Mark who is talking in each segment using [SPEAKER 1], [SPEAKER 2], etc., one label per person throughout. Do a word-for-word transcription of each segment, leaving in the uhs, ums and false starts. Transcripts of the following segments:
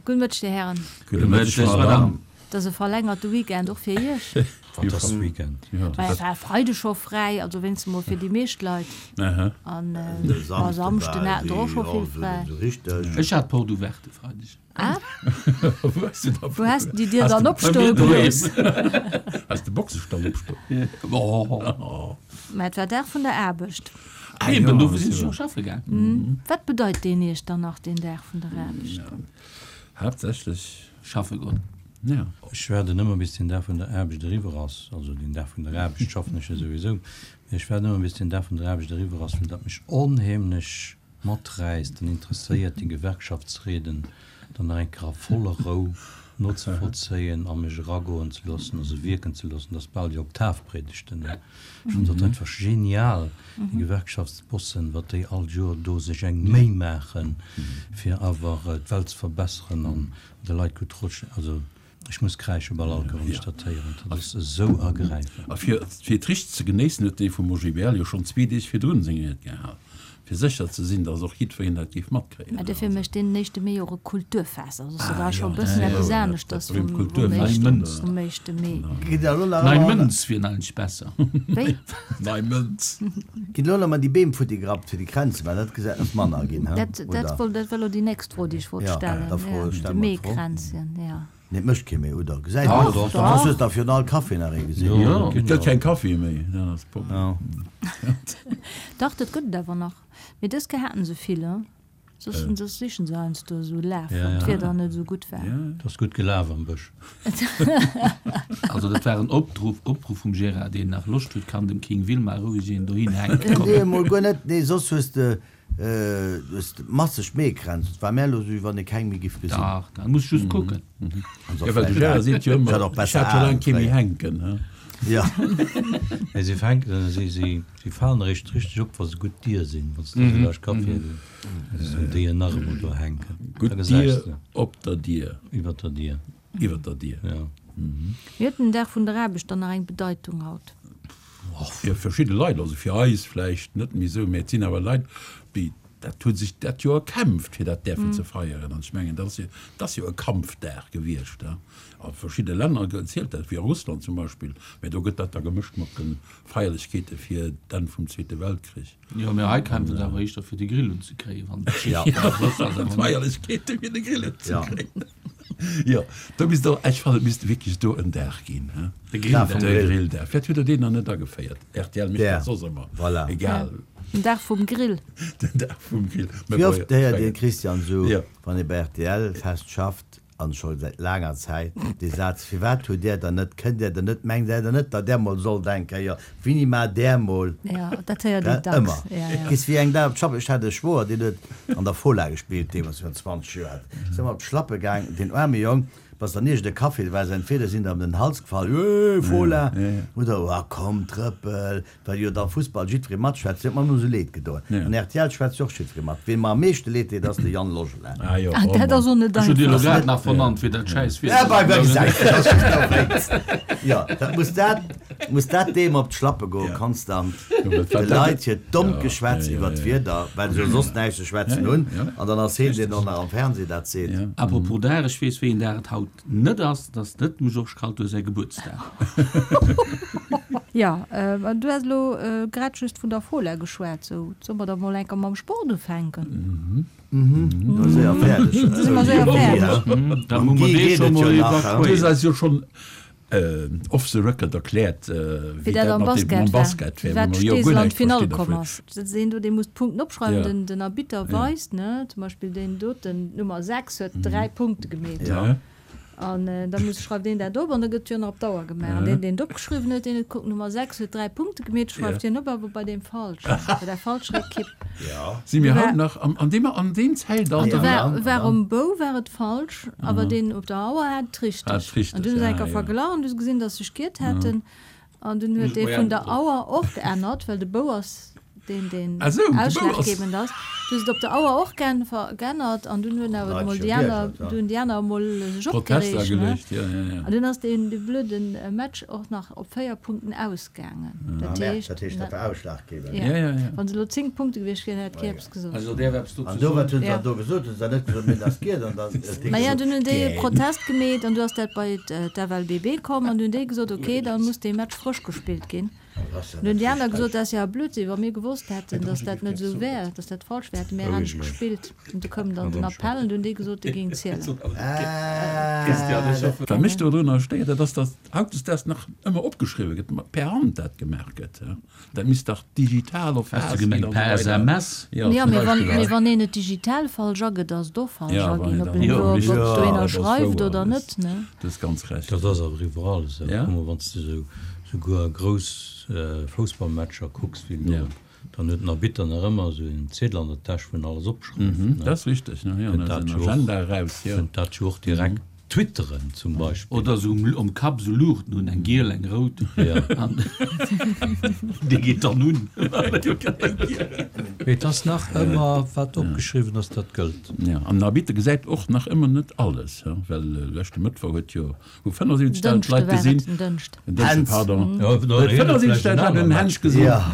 [SPEAKER 1] Gudde Mëtteg, Dir Hären.
[SPEAKER 2] Gudde Mëtteg, Madame.
[SPEAKER 1] Et ass e verlängerte Weekend, och fir Iech.
[SPEAKER 3] Wat ass Weekend?
[SPEAKER 1] Mä et war Freide scho fräi, also wéinstens mol fir déi meescht Leit. An ma Samschden haten der och scho vill fräi.
[SPEAKER 2] Ech hat Porte ouverte e Freideg.
[SPEAKER 1] Ah? Wou has de déi Dier dann opstoe gelooss?
[SPEAKER 4] Has de Boxestall opstoe?
[SPEAKER 1] Mä et war Dag vun der Aarbecht.
[SPEAKER 2] Eben, dofir sinn ech och schaffe gaang.
[SPEAKER 1] Wat bedeit deen Iech dann nach, deen Dag vun der Aarbecht?
[SPEAKER 4] Haaptsächlech.
[SPEAKER 2] Schaffe goen.
[SPEAKER 4] Ja.
[SPEAKER 3] Ech waarden ëmmer bis den Dag vun der Aarbecht eriwwer ass, also den Dag vun der Aarbecht schaffen ech jo souwisou, mee ech waarden ëmmer bis den Dag vun der Aarbecht eriwwer ass, well dat mech onheemlech maträisst an interesséiert, déi Gewerkschaftsrieden dann nach eng Kéier a voller Rou nozevollzéien a mech eragoen ze loossen a se wierken ze loossen. Dat ass bal wéi Oktavpredigten. Ech fannen dat einfach genial, déi Gewerkschaftsbossen, wat déi all Joer do sech eng Méi maachen, fir awer d'Welt ze verbesseren an de Leit gutt Rotschléi. Also ech muss kräische bal all Kéier, wann ech dat héieren. Dat ass esou ergräifend.
[SPEAKER 4] A fir et richteg ze genéissen, huet dee vum OGBL jo schonn zwee Deeg virdrun seng Ried gehal. Fir sécher ze sinn, datt och jiddwereen dat géif matkréien.
[SPEAKER 1] Mä dofir mécht deen éischte Mee och e Kulturfest. Also ass dat da scho e bëssen eppes aneschters vum éischte Mee.
[SPEAKER 2] Nei Mënz wier eigentlech besser.
[SPEAKER 1] Wéi?
[SPEAKER 4] Nei Mënz.
[SPEAKER 5] Ginn elo nach emol déi Beem futti gerappt fir déi Kränze, well dat gesäit ass manner ginn, he?
[SPEAKER 1] Dat war elo déi nächst Fro, déi ech wollt stellen. De Meekränzchen, jo.
[SPEAKER 5] Nee, et mécht kee méi, oder? Gesäit een och. Soss hues de virun all Café nach ee gesinn.
[SPEAKER 4] Jo, et gëtt keng Caféë méi, dat ass d'Problem.
[SPEAKER 1] Dach, dat gëtt et awer nach. Mee dës Kéier haten se vill, hein? Soss soss sichen se heiansdo esou Laf, wann d'Wieder net esou gutt war.
[SPEAKER 3] Et ass gutt gelaf am Bësch.
[SPEAKER 2] Also dat war en Opruff, Opruff vum Gérard, deen nach Loscht huet, kann dem King Wilmar roueg een dohin hänken kommen.
[SPEAKER 5] Nee, emol guer net. Nee, soss hues de Du hues masseg Meekränz, et war mär elo sou wéi wann ee keng méi giff gesinn.
[SPEAKER 2] Dach, da muss just kucken.
[SPEAKER 4] Jo, well de Gérard seet jo ëmmer, ech hat scho laang kee méi hänken, he?
[SPEAKER 5] Jo.
[SPEAKER 3] Mee si fänken, si, si, si falen eréischt richteg op, wa se gutt Dier sinn, wann s de esou laanscht Caféë gees, esou déi en nach emol do hänken.
[SPEAKER 4] Gutt Dier op der Dier.
[SPEAKER 3] Iwwer der Dier.
[SPEAKER 4] Iwwer der Dier.
[SPEAKER 3] Jo.
[SPEAKER 1] Mee huet den Dag vun der Aarbecht dann nach eng Bedeitung haut?
[SPEAKER 4] Fir verschidde Leit, also fir eis vläicht net méi esou, mä et sinn awer Leit, déi dat hu sech dat Joer erkämpft, fir dat däerfen ze feieren. An ech mengen, dat ass jo, dat ass jo e Kampfdag gewiescht. A verschidde Länner zielt dat, wéi a Russland zum Beispill, mä do gëtt dat da gemëscht mat de Feierlechkeete fir d'Enn vum Zweete Weltkrich.
[SPEAKER 2] Jo, mä hei kämpfen se awer éischter fir de Grill unzekréien, wann et
[SPEAKER 4] Feierlechkeete fir de Grill unzekréien. Jo, do misst och, ech fannen, et misst wierklech do en Dag ginn, he?
[SPEAKER 2] De Grilldag.
[SPEAKER 4] De Grilldag. Vläicht huet Der deen nach net ageféiert. Rtl mécht dat soss ëmmer.
[SPEAKER 5] Voilà.
[SPEAKER 4] Egal.
[SPEAKER 1] Den Dag vum Grill.
[SPEAKER 4] Den Dag vum Grill. Mä
[SPEAKER 5] Wéi
[SPEAKER 4] bon,
[SPEAKER 5] oft héiert een, Christian, esou,
[SPEAKER 4] Jo.
[SPEAKER 5] wann ee bei rtl fest schafft, an scho säit laanger Zäit, dee Saz, Firwat hutt Där dann net, kënnt Där dann net, mengt Där dann net, datt Där mol sollt eng Kéier, wéini maacht Där mol?
[SPEAKER 1] Jo, dat héiert een dacks.
[SPEAKER 5] Ëmmer.
[SPEAKER 1] Ja, ja.
[SPEAKER 5] Gees wéi eng Dag op d'Schapp. Ech hat e Schwoer, deen huet an der Fola gespillt, deemools virun zwanzeg Joer. Ass ëmmer op d'Schlappe gaang, deen aarme Jong. Bass dann iergend e Café, do war se entweder sinn der ëm den Hals gefall, Eeh, Fola! Oder Oh, komm, Trëppel! Well jo da Fussball jiddweree matschwätzt, huet mer ëmmer esou leed gedoen. An rtl schwätzt jo och jiddweree mat. Ween mer am meeschte leed deet, ass de Yann Logelin.
[SPEAKER 4] Ah jo,
[SPEAKER 1] Ah,
[SPEAKER 4] oh
[SPEAKER 1] dat ass och net
[SPEAKER 2] Ech hunn dir elo
[SPEAKER 1] einfach.
[SPEAKER 2] grad nach vernannt, wéi dat schäiss
[SPEAKER 5] Ja,
[SPEAKER 2] Wieder.
[SPEAKER 5] bei, bei, gesäis de, ass just dowéinst. Jo, dat muss dat, muss dat deem op d'Schlappe goen, konstant. De Leit hiert dommt Geschwätz iwwer d'Wieder, well se jo soss näischt ze schwätzen hunn, an dann ass heen, deen och nach am Fernseh dat seet.
[SPEAKER 2] Apropos Dag, ech weess, wéi een Dag et haut net ass, et ass net dem Georges Kaltur säi Gebuertsdag.
[SPEAKER 1] Jo, an du has elo grad just vun der Fola geschwat, sou solle mer da mol enker mam Sport ufänken?
[SPEAKER 5] Mhm, séier fäerdeg.
[SPEAKER 1] Da si mer séier fäerdeg.
[SPEAKER 2] Dann hu mer dee scho mol
[SPEAKER 4] Du hues
[SPEAKER 2] evakuéiert.
[SPEAKER 4] eis jo schonn off the record erkläert,
[SPEAKER 1] wéi dat am Basket war, firwat d'Steesel an d'Finall komm ass. Dat ass een do, dee muss d'Punkten opschreiwen, den den Arbitter weist, ne, zum Beispill deen doten, d'Nummer sechs huet dräi Punkte gemeet. An da muss, schreift een dat op an da gëtt jo nach op d'Auer gemaach. An deen, deen et opgeschriwwen huet, deen huet gekuckt, Nummer sechs huet dräi Punkte gemeet, schreift hien op, awer bei deem falschen, bei der falscher Ekipp.
[SPEAKER 4] Si mir haut nach an deem, an deem Zäitalter?
[SPEAKER 1] An do war, war um Bou war et falsch, awer deen op der Auer hat et richteg.
[SPEAKER 4] Hat et richteg,
[SPEAKER 1] An dunn hu se
[SPEAKER 4] ah
[SPEAKER 1] eng Kéier
[SPEAKER 4] jo.
[SPEAKER 1] verglach an du hu se gesinn, datt se sech giert hätten. An dunn huet dee vun der Auer och geännert, well de Bou ass deen deen
[SPEAKER 4] Ah sou, de Bou ass.
[SPEAKER 1] ausschlaggebend ass. Du hues et op der Auer och gen geännert an dunn hunn awer emol déi aner, du hunn déi aner emol sech
[SPEAKER 4] Protest
[SPEAKER 1] opgereegt, ne?
[SPEAKER 4] ageluecht, jo, jo, jo.
[SPEAKER 1] An dunn ass deen dee blöde Match och nach op véier Punkten ausgaangen.
[SPEAKER 5] Ah
[SPEAKER 1] Dat
[SPEAKER 5] merde,
[SPEAKER 1] heescht,
[SPEAKER 5] dat heescht,
[SPEAKER 1] ne?
[SPEAKER 5] dat war ausschlaggebend.
[SPEAKER 1] Ja.
[SPEAKER 4] Ja, ja, ja.
[SPEAKER 1] Wann se elo zéng Punkte gewiescht wieren, hätt kee eppes gesot.
[SPEAKER 2] Also däerf eppes dozou
[SPEAKER 5] An do,
[SPEAKER 2] soen?
[SPEAKER 5] wat hunn se
[SPEAKER 1] Ja.
[SPEAKER 5] dann do gesot? Hunn se dann net gesot, mir das giet an dann huet dee
[SPEAKER 1] Maja,
[SPEAKER 5] gesot,
[SPEAKER 1] dunn hunn déi e
[SPEAKER 5] Gähn.
[SPEAKER 1] Protest gemeet an du ass dat bei d'F L B B komm an du hunn déi gesot, okay, dann muss dee Match frësch gespillt ginn.
[SPEAKER 5] Das
[SPEAKER 1] An hunn déi aner gesot, dat ass jo e Blödsinn, wa mir gewosst hätten, datt dat net esou wär, datt dat falsch wär, hätte mir anescht gespillt. An du koum dann den Appell an du hunn déi gesot, dee géing zielen.
[SPEAKER 4] Wat mech dodrunner stéiert, dat ass, datt hautdesdaags nach ëmmer opgeschriwwe gëtt, per Hand dat gemaach gëtt. Dat misst dach digital
[SPEAKER 2] Has
[SPEAKER 4] erfaasst
[SPEAKER 2] de
[SPEAKER 4] ginn
[SPEAKER 2] gemengt
[SPEAKER 4] an
[SPEAKER 2] per
[SPEAKER 4] esou weider.
[SPEAKER 2] S M S?
[SPEAKER 4] Jo,
[SPEAKER 1] Jo,
[SPEAKER 4] zum
[SPEAKER 1] mee wann,
[SPEAKER 4] Beispill.
[SPEAKER 1] mee wann een et digital falsch agëtt, ass et och falsch
[SPEAKER 4] Ja,
[SPEAKER 1] aginn,
[SPEAKER 4] wann
[SPEAKER 1] ob
[SPEAKER 4] een
[SPEAKER 1] een
[SPEAKER 4] dann,
[SPEAKER 1] elo,
[SPEAKER 4] jo,
[SPEAKER 1] ob
[SPEAKER 4] jo,
[SPEAKER 1] do
[SPEAKER 4] dat
[SPEAKER 1] een
[SPEAKER 4] ass
[SPEAKER 1] schreift
[SPEAKER 4] wouer,
[SPEAKER 1] oder
[SPEAKER 4] dat
[SPEAKER 1] net, ne?
[SPEAKER 4] du hues ganz Recht.
[SPEAKER 3] Dat ass awer iwwerall esou.
[SPEAKER 4] Ja?
[SPEAKER 3] Kuck mol, wann s de esou souguer grouss Foussballmatcher kucks wéi elo,
[SPEAKER 4] Ja.
[SPEAKER 3] dann huet den Arbitter nach ëmmer esou en Ziedel an der Täsch, wou en alles opschreift,
[SPEAKER 4] Mhm,
[SPEAKER 3] ne?
[SPEAKER 4] dat ass richteg, ne? Jo,
[SPEAKER 3] Kënnt
[SPEAKER 4] da
[SPEAKER 3] dat
[SPEAKER 4] ass en
[SPEAKER 3] jo och,
[SPEAKER 4] Agenda eraus, jo.
[SPEAKER 3] kënnt dat jo och direkt twitteren zum Beispill.
[SPEAKER 2] Oder esou um, um Kapp esou Luuchten hunn, eng giel, eng rout.
[SPEAKER 3] Ja.
[SPEAKER 2] An déi geet dann un.
[SPEAKER 3] Mee et ass nach ëmmer, wat opgeschriwwen ass, dat gëllt.
[SPEAKER 4] Ja, an den Arbitter gesäit och nach ëmmer net alles, ja, well leschte Mëttwoch huet jo, hu fënnefundsiwwenzegdausend
[SPEAKER 1] Dënschde
[SPEAKER 4] Leit
[SPEAKER 1] war et,
[SPEAKER 4] gesinn,
[SPEAKER 1] den Dënschd.
[SPEAKER 4] den Dënschden,
[SPEAKER 5] Hänz.
[SPEAKER 4] pardon,
[SPEAKER 3] Ja, da huet hien et vläicht en
[SPEAKER 4] fënnefundsiwwenzegdausend Leit
[SPEAKER 3] anere
[SPEAKER 4] hunn
[SPEAKER 3] Match
[SPEAKER 4] Hänsch gesinn.
[SPEAKER 5] Ja.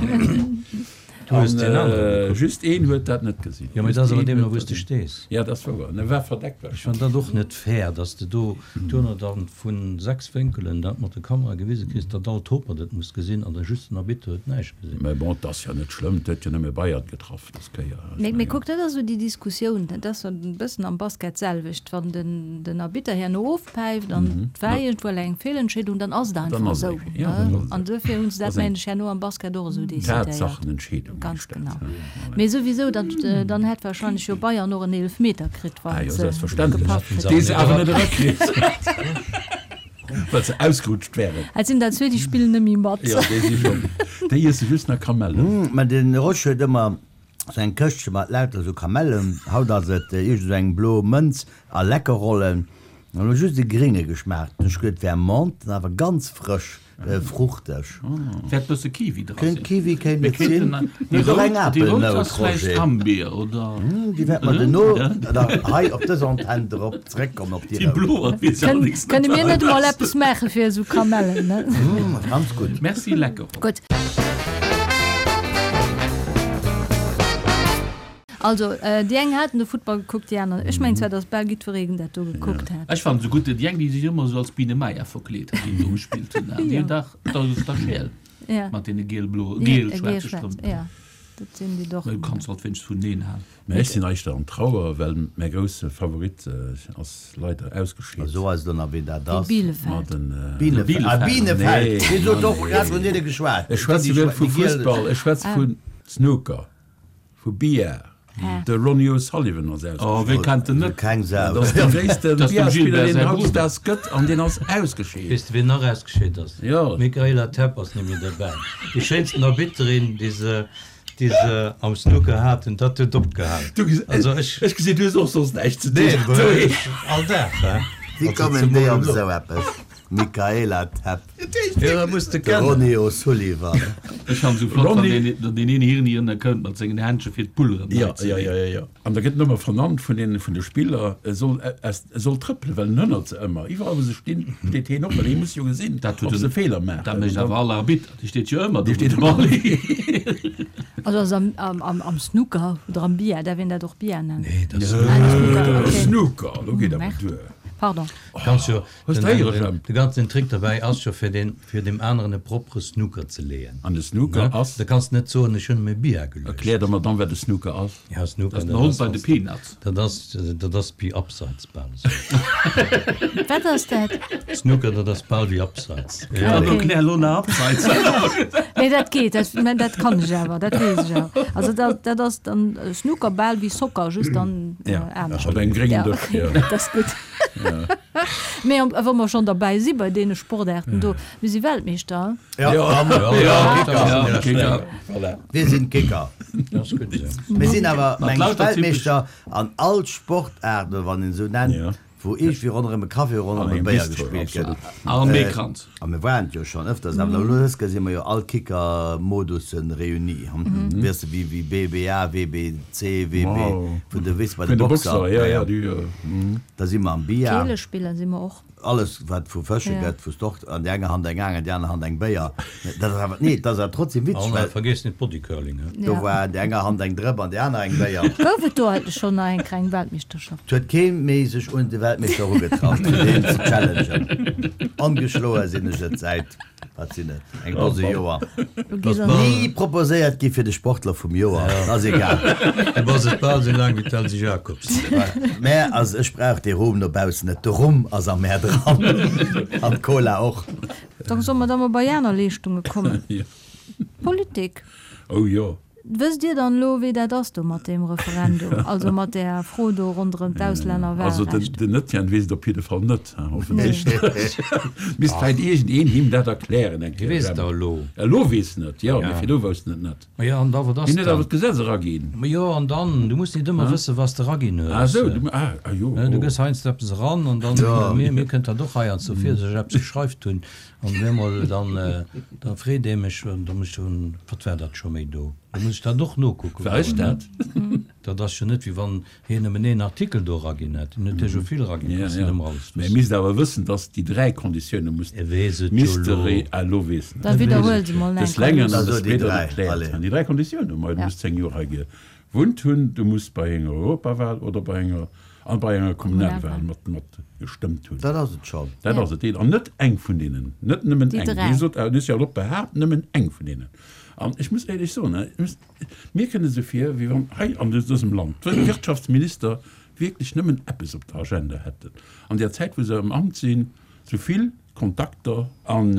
[SPEAKER 3] Du hues
[SPEAKER 4] An
[SPEAKER 3] deen anere gekuckt.
[SPEAKER 4] just een huet dat net gesinn.
[SPEAKER 3] Jo, mee dat
[SPEAKER 4] Just
[SPEAKER 3] ass awer
[SPEAKER 4] een
[SPEAKER 3] deemno,
[SPEAKER 4] huet
[SPEAKER 3] wou s
[SPEAKER 4] dat
[SPEAKER 3] de
[SPEAKER 4] net.
[SPEAKER 3] stees.
[SPEAKER 4] Ja, dat ass wouer. En war verdeckt
[SPEAKER 3] Ech fannen dat och net fair, dass de do duerno dann vu sechs Wénkelen dat mat der Kamera gewise kriss, datt all Topert et muss gesinn an da just den Arbitter huet näischt gesinn.
[SPEAKER 4] Mä bon, dat ass jo net schlëmm, et huet jo nëmme Bayern getraff dës Kéier. Ech
[SPEAKER 1] Mee, mee
[SPEAKER 4] mengen.
[SPEAKER 1] kuck, dat ass esou déi Diskussioun, dat ass e bëssen am Basket d'selwecht, wann den, den Arbitter herno ofpäift an et war iergendwou eng Feelentscheedung, dann ass et
[SPEAKER 4] Dann
[SPEAKER 1] einfach
[SPEAKER 4] ass et
[SPEAKER 1] esou,
[SPEAKER 4] eng, ja,
[SPEAKER 1] ne?
[SPEAKER 4] dann ass et
[SPEAKER 1] An duerfir hu se
[SPEAKER 4] Dat
[SPEAKER 1] dat,
[SPEAKER 4] ass eng
[SPEAKER 1] mengen ech, herno am Basket och esou decidéiert.
[SPEAKER 4] Tatsachenentscheedung.
[SPEAKER 1] Ganz
[SPEAKER 4] heescht dat,
[SPEAKER 1] genau.
[SPEAKER 4] ja.
[SPEAKER 1] Mee souwisou, dann, dann hätt wahrscheinlech jo Bayern och en Eelefmeter kritt,
[SPEAKER 4] Ah
[SPEAKER 1] wann
[SPEAKER 4] jo,
[SPEAKER 1] se
[SPEAKER 4] selbstverständlech.
[SPEAKER 1] gepaff kritt
[SPEAKER 4] Dee se
[SPEAKER 1] hätten.
[SPEAKER 4] awer net erakritt. Well se ausgerutscht wären.
[SPEAKER 1] Et sinn der zwee, déi spillen net méi mat.
[SPEAKER 4] Ja, déi si schonn. Déi iesse just nach Kamellen.
[SPEAKER 5] Mä den Rosch huet ëmmer sou eng Këschtche mat lauter sou Kamellen. Haut ass et iergend sou eng blo Mënz a Leckerrollen. An elo just e grénge geschmaacht. Ech huet wär Menthe, awer ganz frësch, fruchteg.
[SPEAKER 2] Wäert bësse Kiwi dra
[SPEAKER 5] Kéint
[SPEAKER 2] sinn.
[SPEAKER 5] Kiwi kéint
[SPEAKER 2] Mir
[SPEAKER 5] et sinn.
[SPEAKER 2] kéinten déi
[SPEAKER 5] Huet och eng
[SPEAKER 2] rout, déi rout
[SPEAKER 5] Apelnout,
[SPEAKER 2] ass vläicht
[SPEAKER 5] Roger.
[SPEAKER 2] Hammbier oder
[SPEAKER 5] Déi wäert mer duerno da hei op dës Antenn drop zréckkommen op déi
[SPEAKER 2] déi
[SPEAKER 5] rout.
[SPEAKER 2] blo, dat weess ech
[SPEAKER 1] Kënn,
[SPEAKER 2] allerdéngs net,
[SPEAKER 1] kënne mir
[SPEAKER 2] wat
[SPEAKER 1] net
[SPEAKER 2] dat
[SPEAKER 1] emol
[SPEAKER 2] ass.
[SPEAKER 1] eppes maache fir esou Kamellen, ne?
[SPEAKER 5] Mm, ganz gutt.
[SPEAKER 2] Merci, lecker.
[SPEAKER 1] Gutt. Also, déi eng haten de Futtball gekuckt, déi aner. Ech mengen zwar, datt bal jiddwereen dat do gekuckt hat.
[SPEAKER 2] Ech fannen se gutt, déi eng, déi sech ëmmer esou als Biene Maya verkleet hat, déi do gespillt hunn. Déi hunn dach, dat ass dach scheel mat deene giel-blo, giel-schwaarze Strëmp.
[SPEAKER 1] Ja, dat sinn déi doch.
[SPEAKER 2] Mä du kanns alt wéinst vun neen halen.
[SPEAKER 4] Mä ech sinn eischter an Trauer, well mäi grousse Favorit ass leider ausgescheet.
[SPEAKER 5] So eis elo nach, wien dat
[SPEAKER 1] Dee
[SPEAKER 5] ass.
[SPEAKER 1] Bielefeld.
[SPEAKER 4] Ma den.
[SPEAKER 5] Bielefeld. Ah,
[SPEAKER 2] Bielefeld.
[SPEAKER 5] Bienefeld. Dir sot och grad vun deene geschwat.
[SPEAKER 4] Ech schwätze net vu Fussball, ech schwätze vu Snooker. Vu Billard. De Ronnie O'Sullivan ass ausgescheet.
[SPEAKER 2] Oh, wee kennt en net?
[SPEAKER 5] Keng Sau.
[SPEAKER 4] Dat ass de gréisste
[SPEAKER 2] Dat ass dem
[SPEAKER 4] Billardspiller,
[SPEAKER 2] Gilbert
[SPEAKER 4] deen
[SPEAKER 2] säi
[SPEAKER 4] hautdesdaags gëtt, an deen ass ausgescheet.
[SPEAKER 3] Weess de, wien nach ausgescheet ass?
[SPEAKER 4] Jo.
[SPEAKER 3] D'Michaela Tepp ass net méi derbäi. Déi schéinsten Arbitterin, déi se, déi se am Snooker haten, dat huet opgehalen.
[SPEAKER 4] Du ges,
[SPEAKER 3] Also ech.
[SPEAKER 4] ech gesinn, du hues och soss näischt ze
[SPEAKER 3] Nee,
[SPEAKER 4] dinn.
[SPEAKER 3] ech all Dag, hè.
[SPEAKER 5] Wéi
[SPEAKER 3] Also
[SPEAKER 5] kommen
[SPEAKER 3] zemol
[SPEAKER 5] déi op
[SPEAKER 3] elo.
[SPEAKER 5] esou eppes? Michaela Tepp.
[SPEAKER 3] Jo, dat muss de
[SPEAKER 5] De
[SPEAKER 3] kennen.
[SPEAKER 5] Ronnie O'Sullivan.
[SPEAKER 2] Ech han sou flott, wann
[SPEAKER 4] Ronnie.
[SPEAKER 2] deen, deen een Hirni ënnerkënnt mat sengen Händche fir d'Bull erëm
[SPEAKER 4] Ja,
[SPEAKER 2] nei ze
[SPEAKER 4] ja,
[SPEAKER 2] leeën.
[SPEAKER 4] ja, ja, ja. An da gëtt en ëmmer vernannt vun den, vun de Spiller, e soll, e, e soll trëppelen, well en hënnert se ëmmer. Iwwerall wou se stinn, steet hien op, well hie muss jo gesinn,
[SPEAKER 2] Dat huet
[SPEAKER 4] ob se
[SPEAKER 2] en,
[SPEAKER 4] Feeler maachen.
[SPEAKER 2] dat mécht awer all Arbitter, dee steet jo ëmmer do
[SPEAKER 4] Dee
[SPEAKER 2] wou
[SPEAKER 4] steet
[SPEAKER 2] de Ball
[SPEAKER 1] Also ass am, am, am, am Snooker oder am Billard, däerf een dat och Billard nennen?
[SPEAKER 3] Nee, dat ass
[SPEAKER 1] Ah, dat ass Snooker, okay.
[SPEAKER 4] Snooker, do geet awer
[SPEAKER 1] Merde.
[SPEAKER 4] duer.
[SPEAKER 1] Pardon.
[SPEAKER 3] Kanns jo,
[SPEAKER 4] Hues
[SPEAKER 3] den,
[SPEAKER 4] de héieren,
[SPEAKER 3] den,
[SPEAKER 4] Jemp?
[SPEAKER 3] de ganzen Trick derbäi ass jo fir den, fir dem aneren e propere Snooker ze leeën.
[SPEAKER 4] An de Snooker
[SPEAKER 3] Ne?
[SPEAKER 4] ass?
[SPEAKER 3] Da kanns net soen, ech hunn em e Billard geluecht.
[SPEAKER 4] Erklär der mer dann, wat de Snooker ass.
[SPEAKER 3] Ja, Snooker,
[SPEAKER 2] Dat ass den
[SPEAKER 3] dat
[SPEAKER 2] Hond
[SPEAKER 3] ass
[SPEAKER 2] bei de
[SPEAKER 3] was-
[SPEAKER 2] Peanuts.
[SPEAKER 3] Dat ass, dat ass wéi Abseits bal esou.
[SPEAKER 1] Wat ass dat?
[SPEAKER 3] Snooker, dat ass bal wéi Abseits.
[SPEAKER 2] Ja,
[SPEAKER 1] Okay.
[SPEAKER 2] erklär elo nach Abseits.
[SPEAKER 1] Nee, dat geet, dat, mä dat kann ech awer, dat weess ech awer. Also dat, dat ass dann Snooker bal wéi Soccer, just dann
[SPEAKER 4] Ja,
[SPEAKER 1] anescht.
[SPEAKER 4] op engem gréngen
[SPEAKER 1] Ja,
[SPEAKER 4] Dësch,
[SPEAKER 1] okay,
[SPEAKER 4] ja.
[SPEAKER 1] dat ass gutt. Mee am, wa mer schonn derbäi si bei deene Sportaarten do, mir si Weltmeeschter.
[SPEAKER 5] Ja,
[SPEAKER 4] Ja,
[SPEAKER 5] ja,
[SPEAKER 2] ja,
[SPEAKER 5] Kicker.
[SPEAKER 2] ja, Kicker.
[SPEAKER 4] Voilà.
[SPEAKER 5] Wir sinn Kicker.
[SPEAKER 3] Dat ass gutt esou.
[SPEAKER 5] Mir sinn awer
[SPEAKER 2] Mat
[SPEAKER 5] meng
[SPEAKER 2] lauter
[SPEAKER 5] Weltmeeschter an all Sportaarten, wann een esou nennt,
[SPEAKER 4] Ja.
[SPEAKER 5] wou iergendwéi ronderëm e Café, ronderëm e Béier gespillt gëtt.
[SPEAKER 2] An Meekranz.
[SPEAKER 5] A mir waren et jo schonn ëfters, awer elo dës Kéier si mer jo all Kicker-Modussen réunis, weess de, wéi wéi B B A, W B C, W B, vun de, weess de, bei de Boxer. Da si mer am Billard.
[SPEAKER 1] Keelespiller si mer och.
[SPEAKER 5] Alles wat vu Fësche gëtt, wou s de och an déi enger Hand eng Aang, an déi aner Hand eng Béier, dat ass awer, nee, dat ass awer trotzdem witzeg, well.
[SPEAKER 3] Vergiess net Bodycurling, he.
[SPEAKER 5] Do war an déi enger Hand eng Drëpp an déi aner eng Béier.
[SPEAKER 1] Gouf et do eigentlech schonn nach eng kleng Weltmeeschterschaft?
[SPEAKER 5] Et huet kee méi sech un de Weltmeeschter erugetraut, fir deen ze challengen. Ongeschloe sinn ech et säit, wat sinn et, eng Dose Joer. Ni proposéiert gi fir de Sportler vum Joer, ass egal.
[SPEAKER 3] Du bass et bal esou laang wéi d'Elsy Jacobs.
[SPEAKER 5] Mä also ech brauch dee Rum dobaussen net, de Rum ass am Mäer dran an d'Cola och.
[SPEAKER 1] Da solle mer da mol bei aner Leeschtunge kommen. Politik.
[SPEAKER 4] Oh jo.
[SPEAKER 1] Wësst Dir dann elo, wéi dat ass do mat deem Referendum, also mat där Fro do ronderëm
[SPEAKER 4] Also den,
[SPEAKER 1] d'Auslännerwahlrecht?
[SPEAKER 4] den Etienne weess et op jidde Fall net, offensichtlech. Misst vläicht iergendeen him dat erklären eng
[SPEAKER 3] Hie
[SPEAKER 4] Kéier,
[SPEAKER 3] weess et
[SPEAKER 4] Jemp.
[SPEAKER 3] da elo.
[SPEAKER 4] Elo weess en et, jo, mee
[SPEAKER 3] Ja.
[SPEAKER 4] virdu wousst en et net.
[SPEAKER 3] Ma jo, an da, wat ass
[SPEAKER 4] Hien huet awer
[SPEAKER 3] dann?
[SPEAKER 4] d'Gesetz eraginn.
[SPEAKER 3] Ma jo, an dann? Du muss nit ëmmer wëssen, wat s de eraginn
[SPEAKER 4] Ah
[SPEAKER 3] hues.
[SPEAKER 4] esou, du, ah, ah jo,
[SPEAKER 3] Ne, du
[SPEAKER 4] oh.
[SPEAKER 3] gëss heiansdo eppes eran an dann,
[SPEAKER 5] Jo.
[SPEAKER 3] mir, mir kënnt dat och heiansdo vir, dass ech eppes geschreift hunn an op eemol dann, da freet ee mech, an da muss ech soen, wat war dat scho méi do? Da muss ech dat och nokucke
[SPEAKER 4] War ech
[SPEAKER 3] goen, ne?
[SPEAKER 4] dat?
[SPEAKER 3] Dat ass jo net, wéi wann hien nëmmen een Artikel do eraginn hätt. Hien huet jo scho vill eraginn,
[SPEAKER 4] Ja,
[SPEAKER 3] kannst net
[SPEAKER 4] ja.
[SPEAKER 3] ëmmer alles
[SPEAKER 4] Mä e
[SPEAKER 3] wëssen.
[SPEAKER 4] misst awer wëssen, dass déi dräi Konditioune musst,
[SPEAKER 3] E weess et jo
[SPEAKER 4] misst
[SPEAKER 3] elo.
[SPEAKER 4] de, ah, elo weess en
[SPEAKER 1] Da
[SPEAKER 4] et.
[SPEAKER 1] widderhuel se mol
[SPEAKER 4] Des
[SPEAKER 1] eng Kéier.
[SPEAKER 4] Längeren an
[SPEAKER 5] Also
[SPEAKER 4] des
[SPEAKER 5] déi
[SPEAKER 4] Breederen
[SPEAKER 5] dräi,
[SPEAKER 4] erkläert.
[SPEAKER 5] allez.
[SPEAKER 4] Déi dräi Konditioune, ma du
[SPEAKER 1] Ja.
[SPEAKER 4] muss zéng Joer hei gewunnt hunn, du muss bei enger Europawal oder bei enger, an bei enger Kommunalwal
[SPEAKER 1] Kommunalwal.
[SPEAKER 4] mat, mat gestëmmt hunn.
[SPEAKER 5] Dat ass et schonn.
[SPEAKER 4] Dat
[SPEAKER 1] Ja.
[SPEAKER 4] ass et. An net eng vun deenen, net nëmmen
[SPEAKER 1] Déi
[SPEAKER 4] eng.
[SPEAKER 1] dräi.
[SPEAKER 4] Hie sot, en huet jo och behaapt, nëmmen eng vun deenen. An ech muss éierlech soen, ech muss, mir kënne sou vir, wéi wann hei an dësem Land d'Wirtschaftsminister wierklech nëmmen eppes op der Agenda hätten. An der Zäit, wou se am Amt sinn, sou vill Kontakter an,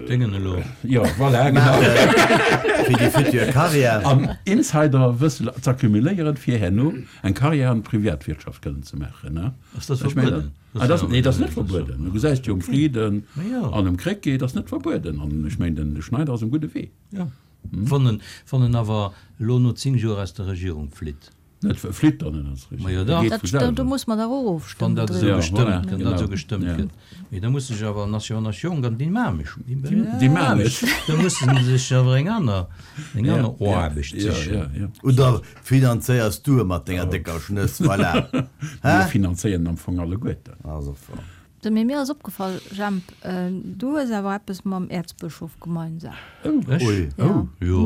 [SPEAKER 3] Déngen elo.
[SPEAKER 4] Jo, voilà, genau.
[SPEAKER 5] Fir déi futur Carrière.
[SPEAKER 4] An Insiderwëssen z'accumuléieren, fir herno eng Carrière an der Privatwirtschaft kënnen ze maachen, ne?
[SPEAKER 3] Ass dat
[SPEAKER 4] Ech mengen,
[SPEAKER 3] verbueden?
[SPEAKER 4] Ah, dat, nee, dat ass net verbueden. Du gesäis jo um Frieden
[SPEAKER 3] Ma
[SPEAKER 4] an um Krecké, dat ass net verbueden. An ech mengen, den Schneider ass um gudde Wee.
[SPEAKER 3] Ja. Wann en, wann en awer elo no zéng Joer aus der Regierung flitt.
[SPEAKER 4] Net flitt dann net aus der
[SPEAKER 3] Ma jo
[SPEAKER 4] Regierung.
[SPEAKER 3] dach.
[SPEAKER 4] Geet
[SPEAKER 1] Dat
[SPEAKER 4] vu
[SPEAKER 1] st-,
[SPEAKER 4] selwer.
[SPEAKER 1] do muss mer dach och
[SPEAKER 3] Wann
[SPEAKER 1] ofstëmmen
[SPEAKER 3] dat esou
[SPEAKER 1] driwwer.
[SPEAKER 4] Ja,
[SPEAKER 3] gestëmmt
[SPEAKER 4] voilà,
[SPEAKER 3] gëtt, dat esou
[SPEAKER 4] genau.
[SPEAKER 3] gestëmmt
[SPEAKER 4] Ja.
[SPEAKER 3] gëtt. Mee da muss sech awer, en ass jo nach jonk an dynamesch.
[SPEAKER 4] Dynamesch.
[SPEAKER 3] Da muss en sech awer eng aner, eng
[SPEAKER 4] Ja,
[SPEAKER 3] aner
[SPEAKER 4] ja,
[SPEAKER 3] Aarbecht
[SPEAKER 4] ja,
[SPEAKER 3] sichen.
[SPEAKER 4] ja, ja.
[SPEAKER 5] Oder finanzéiers du e mat denger décker Schnëss, voilà.
[SPEAKER 4] Mir
[SPEAKER 5] Hä?
[SPEAKER 4] finanzéieren am Fong alleguerten.
[SPEAKER 5] Also, voll.
[SPEAKER 1] Du, mee mir ass opgefall, Jemp, du hues awer eppes mam Äerzbëschof gemeinsam.
[SPEAKER 4] Oh,
[SPEAKER 3] Ech?
[SPEAKER 5] Ui.
[SPEAKER 1] Ja.
[SPEAKER 4] Oh.
[SPEAKER 3] Jo.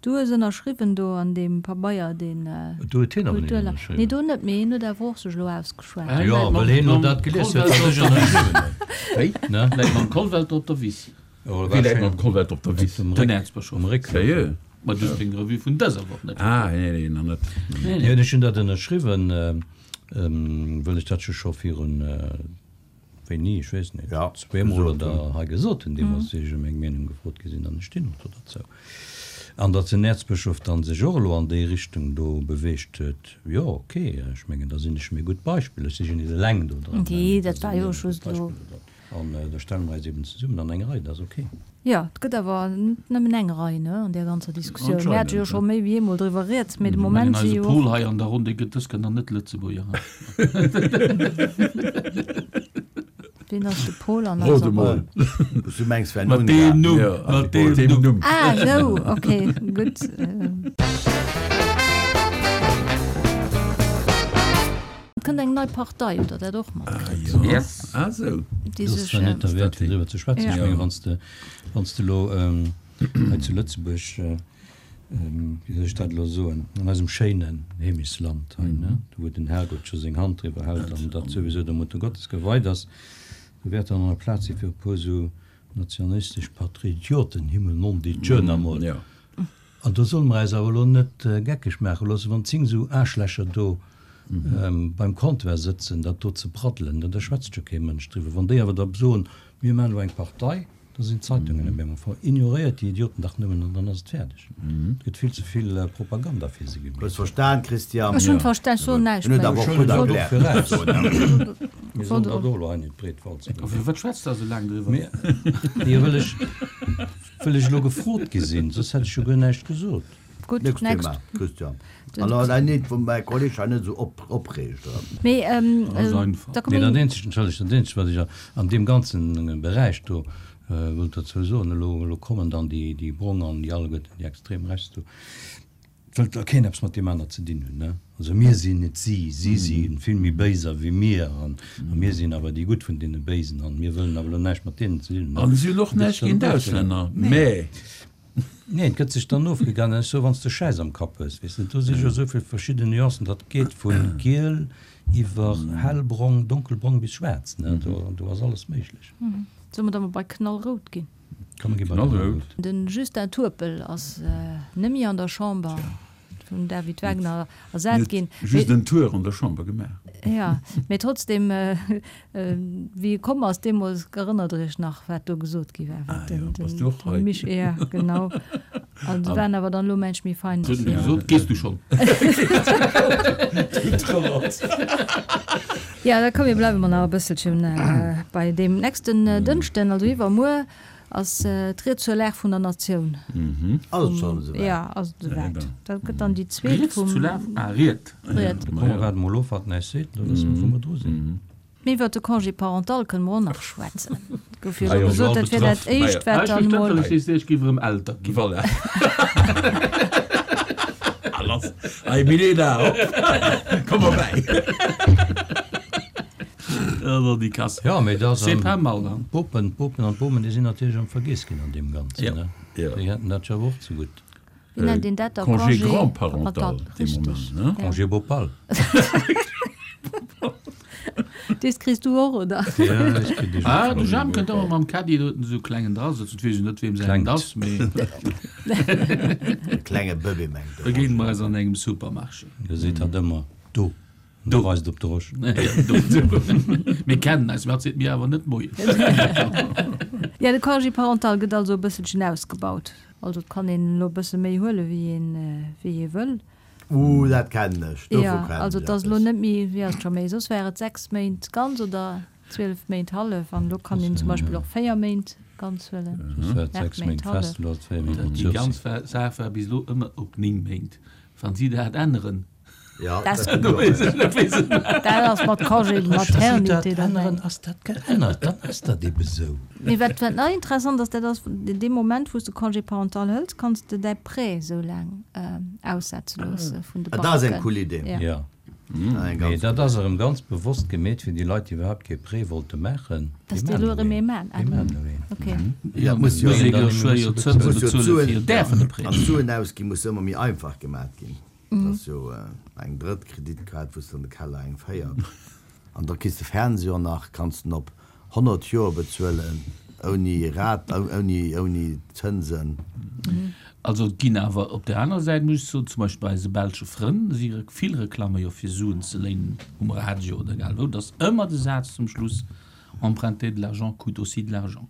[SPEAKER 1] Du hues ënnerschriwwen do an deem Pabeier, deen
[SPEAKER 3] Do huet hien awer net
[SPEAKER 1] Kulturla.
[SPEAKER 3] ënnerschriwwen.
[SPEAKER 1] Nee, do net, mee hien huet awer och sech elo ausgeschwat.
[SPEAKER 2] Hien
[SPEAKER 3] Jo,
[SPEAKER 2] läit mam-
[SPEAKER 3] well hien elo
[SPEAKER 2] mam
[SPEAKER 3] dat gelies huet, wat
[SPEAKER 2] Kollwelter
[SPEAKER 3] ech
[SPEAKER 2] op der
[SPEAKER 3] ënnerschriwwen hunn.
[SPEAKER 4] Wéi?
[SPEAKER 3] Ne?
[SPEAKER 2] Läit mam Kollwelter op der Wiss.
[SPEAKER 3] Oh,
[SPEAKER 4] Wie läit mam Kollwelter op der Wiss?
[SPEAKER 3] Op dem
[SPEAKER 2] Den
[SPEAKER 3] Réck.
[SPEAKER 2] Äerzbëschof.
[SPEAKER 3] Um Réck.
[SPEAKER 4] Sérieux?
[SPEAKER 2] Ma du hues deng Revue vun dëser Woch net.
[SPEAKER 4] Ah, nee, nee, nach net.
[SPEAKER 2] Nee, nee.
[SPEAKER 3] Jo, ech hunn dat ënnerschriwwen, wëll ech dat jo scho virun, wéini, ech weess net,
[SPEAKER 5] Ja,
[SPEAKER 3] zweemol
[SPEAKER 5] gesot
[SPEAKER 3] oder
[SPEAKER 5] hunn.
[SPEAKER 3] hei gesot hunn, deemools, wéi ech ëm meng Meenung gefrot gi sinn, an ech stinn och do derzou. An datt den Äerzbëschof dann sech och elo an déi Richtung do beweegt huet, jo, ok, ech mengen, da sinn ech méi gutt Beispill. Ech si jo net eleng do dran,
[SPEAKER 1] Nee,
[SPEAKER 3] mä da
[SPEAKER 1] dat
[SPEAKER 3] si
[SPEAKER 1] war
[SPEAKER 3] mir
[SPEAKER 1] jo
[SPEAKER 3] e gutt
[SPEAKER 1] just elo.
[SPEAKER 3] Beispill do dran. An da stelle mer eis eben zesummen an eng Rei, dat ass ok.
[SPEAKER 1] Jo, et gëtt awer net nëmmen eng Rei, ne, an där ganzer Diskussioun. Mir hate jo
[SPEAKER 4] Anscheinend,
[SPEAKER 1] scho
[SPEAKER 4] ne.
[SPEAKER 1] méi wéi eemol driwwer rieds, mee de
[SPEAKER 2] Ech mengen,
[SPEAKER 1] Moment si
[SPEAKER 2] eise
[SPEAKER 1] jo
[SPEAKER 2] Pol
[SPEAKER 1] och.
[SPEAKER 2] hei an der Ronn, dee gëtt dës Kéier nach net Lëtzebuerger.
[SPEAKER 1] Wien ass de Pol an
[SPEAKER 4] Rot
[SPEAKER 1] eiser
[SPEAKER 4] emol.
[SPEAKER 1] Ronn?
[SPEAKER 5] Du mengs, wenn
[SPEAKER 2] Mat
[SPEAKER 5] Ungarn.
[SPEAKER 2] deem Numm,
[SPEAKER 4] Ja,
[SPEAKER 2] mat
[SPEAKER 4] mat
[SPEAKER 2] deem
[SPEAKER 4] deem
[SPEAKER 2] Numm.
[SPEAKER 4] Numm.
[SPEAKER 1] Ah, esou, ok, gutt. Et kënnt eng nei Partei, hutt Der dat och matkritt?
[SPEAKER 4] Ah, jo.
[SPEAKER 2] Yes.
[SPEAKER 4] Ah, sou.
[SPEAKER 1] Déi
[SPEAKER 3] Dat ass
[SPEAKER 1] sech,
[SPEAKER 3] zwar net derwäert, fir driwwer ze schwätzen.
[SPEAKER 1] Ja.
[SPEAKER 3] Ech menge, wann s de, wann s de elo hei zu Lëtzebuerg, wéi soll ech dat elo soen, an eisem schéinen Heemechtsland hei, ne, do wou den Herrgott scho seng Hand driwwer hält an dat souwisou der Mutter Gottes geweit ass, do wäert dann nach Plaz si fir e puer esou nationalistesch Patrioten, Himmel non dit Dieu, na mol.
[SPEAKER 4] Ja.
[SPEAKER 3] An do solle mer eis awer elo net geckeg maache loossen, wann zéng esou Aarschlächer do beim Comptoir sëtzen, dat do ze braddelen, da schwätzt jo kee Mënsch driwwer. Wann déi awer da soen, mir maachen elo eng Partei, da sinn d'Zeitungen op eemol voll. Ignoréiert déi Idioten dach nëmmen an dann ass et fäerdeg. Et gëtt vill ze vill Propaganda fir se gemaach.
[SPEAKER 5] Hues verstan, Christian?
[SPEAKER 1] Ech hunn verstan, ech soen näischt
[SPEAKER 5] Hun
[SPEAKER 1] méi.
[SPEAKER 5] et awer och gutt erkläert.
[SPEAKER 3] Mir sollen dat och elo hei net breet walzen.
[SPEAKER 2] A fir wat schwätzt Der esou laang driwwer?
[SPEAKER 3] Jo, well ech, well ech elo gefrot gi sinn, soss hätt ech jo guer näischt gesot.
[SPEAKER 1] Gutt,
[SPEAKER 5] Nächst
[SPEAKER 1] next.
[SPEAKER 5] Thema, Christian. An an ein net, wou mäi Kolleg hei net esou op opreegt.
[SPEAKER 1] Mee ähm,
[SPEAKER 2] Ass einfach.
[SPEAKER 1] da
[SPEAKER 3] Nee,
[SPEAKER 1] komme
[SPEAKER 3] dat eenzegt, entschëllegt, dat eenzegt, wat ech an deem ganzen Beräich do wëllt dozou soen, elo, elo kommen dann déi, déi Brong an déi alleguerten, déi extrem rechts do, et wëllt da keen eppes mat deem aner ze dinn hunn, ne? Also mir sinn net si, si si vill méi béiser wéi mir an a mir sinn awer déi Gutt vun deene Béisen an mir wëllen awer elo näischt mat deenen ze dinn hunn, ne?
[SPEAKER 4] An si hunn och näischt géint d'Auslänner, mä.
[SPEAKER 3] Nee, et gëtt sech dann ofgegaangen. Ech soe, wann s de Schäiss am Kapp hues, weess de, do si jo esou vill verschidden Nuancen, dat geet vu giel iwwer hellbrong, donkelbrong bis schwaarz, ne, do, do ass alles méiglech.
[SPEAKER 1] Solle mer da mol bei knallrout ginn?
[SPEAKER 3] Komm, mir gi bei
[SPEAKER 4] Knallrout.
[SPEAKER 3] knallrout.
[SPEAKER 1] De Justin Turpel ass net méi an der Chamber, vum David Wagner ersat ginn.
[SPEAKER 4] Just en Tour an der Chamber gemaach.
[SPEAKER 1] Ja, mee trotzdem, wéi e komm ass deemools, erënnert Der Iech nach, wat do gesot gi war?
[SPEAKER 4] Ah jo, bass du och hei?
[SPEAKER 1] Mich, ja, genau. An se waren awer dann elo mensch méi fein.
[SPEAKER 2] Huet en gesot, gees du schonn?
[SPEAKER 1] Ja, da komm, mir bleiwe mer nach e bësselchen bei deem nächsten Dënschden, also iwwermuer, Ass d'Ried zur Lag vun der Natioun.
[SPEAKER 5] Ass et schonn esouwäit?
[SPEAKER 1] Jo, ass et esouwäit. Dat gëtt dann déi zweet
[SPEAKER 2] Ried
[SPEAKER 1] vum.
[SPEAKER 2] zu Lag? Ah, Ried.
[SPEAKER 1] Ried.
[SPEAKER 3] Komm, mer waarde mol of, wat en äis seet, da wësse mer, wou mer dru sinn.
[SPEAKER 1] Mee iwwert de Congé parental kënne mer och nach schwätzen. Et gouf jo
[SPEAKER 4] Ah
[SPEAKER 1] elo
[SPEAKER 4] jo,
[SPEAKER 1] gesot, dat wier dat éischt, wat
[SPEAKER 2] Ech
[SPEAKER 1] dann
[SPEAKER 2] verstëmmt,
[SPEAKER 1] emol.
[SPEAKER 2] well ech weess, ech géif erëm Elter ginn.
[SPEAKER 4] Voilà. Ah, lass. Hey, Milena, hopp. Komm erbäi.
[SPEAKER 2] Also déi Kass.
[SPEAKER 3] Ja, mee dat ass
[SPEAKER 2] C'est
[SPEAKER 3] am
[SPEAKER 2] pas mal, hein?
[SPEAKER 3] D'Bopen, d'Bopen an d'Bomen, déi sinn natierlech am Vergiess ginn an deem Ganzen,
[SPEAKER 2] Ja.
[SPEAKER 3] ne?
[SPEAKER 4] Ja.
[SPEAKER 3] Déi hätten dat jo awer och zegutt.
[SPEAKER 1] Wéi nennt een dat da?
[SPEAKER 4] Congé
[SPEAKER 1] Congé
[SPEAKER 4] grand-parental, dee
[SPEAKER 1] Richtig.
[SPEAKER 4] Moment, ne?
[SPEAKER 1] Ja.
[SPEAKER 3] Congé bopal.
[SPEAKER 1] Dees kriss du och, oder?
[SPEAKER 3] Ja, ech kritt dee
[SPEAKER 2] Ah,
[SPEAKER 3] jo
[SPEAKER 2] de
[SPEAKER 3] schon.
[SPEAKER 2] Jam kënnt ëmmer mam Caddie do huet en esou klengen dra sëtzen. Et weess ech net, weem säin
[SPEAKER 3] Klengt.
[SPEAKER 2] ass, mee
[SPEAKER 5] E klenge Bëbee mengt de.
[SPEAKER 2] begéine mer eis an engem Supermarché.
[SPEAKER 3] Da seet hatt ëmmer, Do. Do weist op de Rosch.
[SPEAKER 2] Mir kennen eis, mä hatt seet mir awer net Moien.
[SPEAKER 1] Ja, de Congé parental gëtt also e bësselchen ausgebaut. Also et kann een elo e bësse méi huele wéi een, wéi ee wëll.
[SPEAKER 5] Uh, dat kennen ech. Dovu
[SPEAKER 1] Ja,
[SPEAKER 5] kennen
[SPEAKER 1] also
[SPEAKER 5] ech
[SPEAKER 1] et ass elo
[SPEAKER 5] eppes.
[SPEAKER 1] net méi, wéi ass et scho méi, soss war et sechs Méint ganz oder zwielef Méint hallef an elo kann een zum Beispill och véier Méint ganz huelen.
[SPEAKER 3] Soss war et
[SPEAKER 1] Aacht
[SPEAKER 3] sechs
[SPEAKER 1] Méint
[SPEAKER 3] Méint
[SPEAKER 1] hallef.
[SPEAKER 3] fest, elo ass et véier Méint mat
[SPEAKER 2] Déi
[SPEAKER 3] Sursis.
[SPEAKER 2] ganz Saach war bis elo ëmmer op néng Méint. Wann si dat änneren,
[SPEAKER 5] Ja,
[SPEAKER 1] Das-
[SPEAKER 5] dat
[SPEAKER 2] do weess ech net, wéi se
[SPEAKER 1] Dat ass mat Congé de
[SPEAKER 3] Wa si dat
[SPEAKER 1] maternité derbäi.
[SPEAKER 3] änneren, ass dat geännert, dann ass dat ebe sou.
[SPEAKER 1] Mee wat, wat nach interessant ass, dat ass, dee Moment, wou s de Congé parental hëls, kanns de däi Prêt esou laang aussetze loosse vun de
[SPEAKER 5] Ah, dat ass eng
[SPEAKER 1] Banken.
[SPEAKER 5] cool Idee.
[SPEAKER 1] Ja.
[SPEAKER 3] Ja.
[SPEAKER 5] Ah, eng
[SPEAKER 3] Mee
[SPEAKER 5] ganz
[SPEAKER 3] dat
[SPEAKER 5] cool
[SPEAKER 3] ass erëm ganz bewosst gemeet fir déi Leit, déi iwwerhaapt kee Prêt wollte maachen.
[SPEAKER 1] Dass
[SPEAKER 3] Déi
[SPEAKER 1] déi elo
[SPEAKER 3] maachen
[SPEAKER 1] erëm
[SPEAKER 3] elo
[SPEAKER 1] ee maachen.
[SPEAKER 3] een. Déi maachen elo een.
[SPEAKER 1] Okay.
[SPEAKER 5] Ja, muss jo
[SPEAKER 2] muss ee
[SPEAKER 3] dann
[SPEAKER 2] jo
[SPEAKER 3] muss
[SPEAKER 2] schwéier
[SPEAKER 3] jo
[SPEAKER 2] Zënse
[SPEAKER 5] muss jo
[SPEAKER 2] bezuelen
[SPEAKER 5] d'Suen-
[SPEAKER 2] fir däerfen e Prêt.
[SPEAKER 5] An d'Suen ausgi muss ëmmer méi einfach gemaat ginn. Dat ass jo eng drëtt Kreditkaart, wou s de an de Keller eng véiert. An da kriss de Fernseher nach, kanns den op honnert Joer bezuelen, ouni Rat, ouni, ouni Zënsen.
[SPEAKER 2] Also et ginn awer op där aner Säit, muss ech soen, zum Beispill bei eise belsche Frënn si vill Reklamme jo fir Suen ze léinen um Radio oder egal wou, dass ëmmer de Saz zum Schluss, Emprunter de l'argent coûte aussi de l'argent.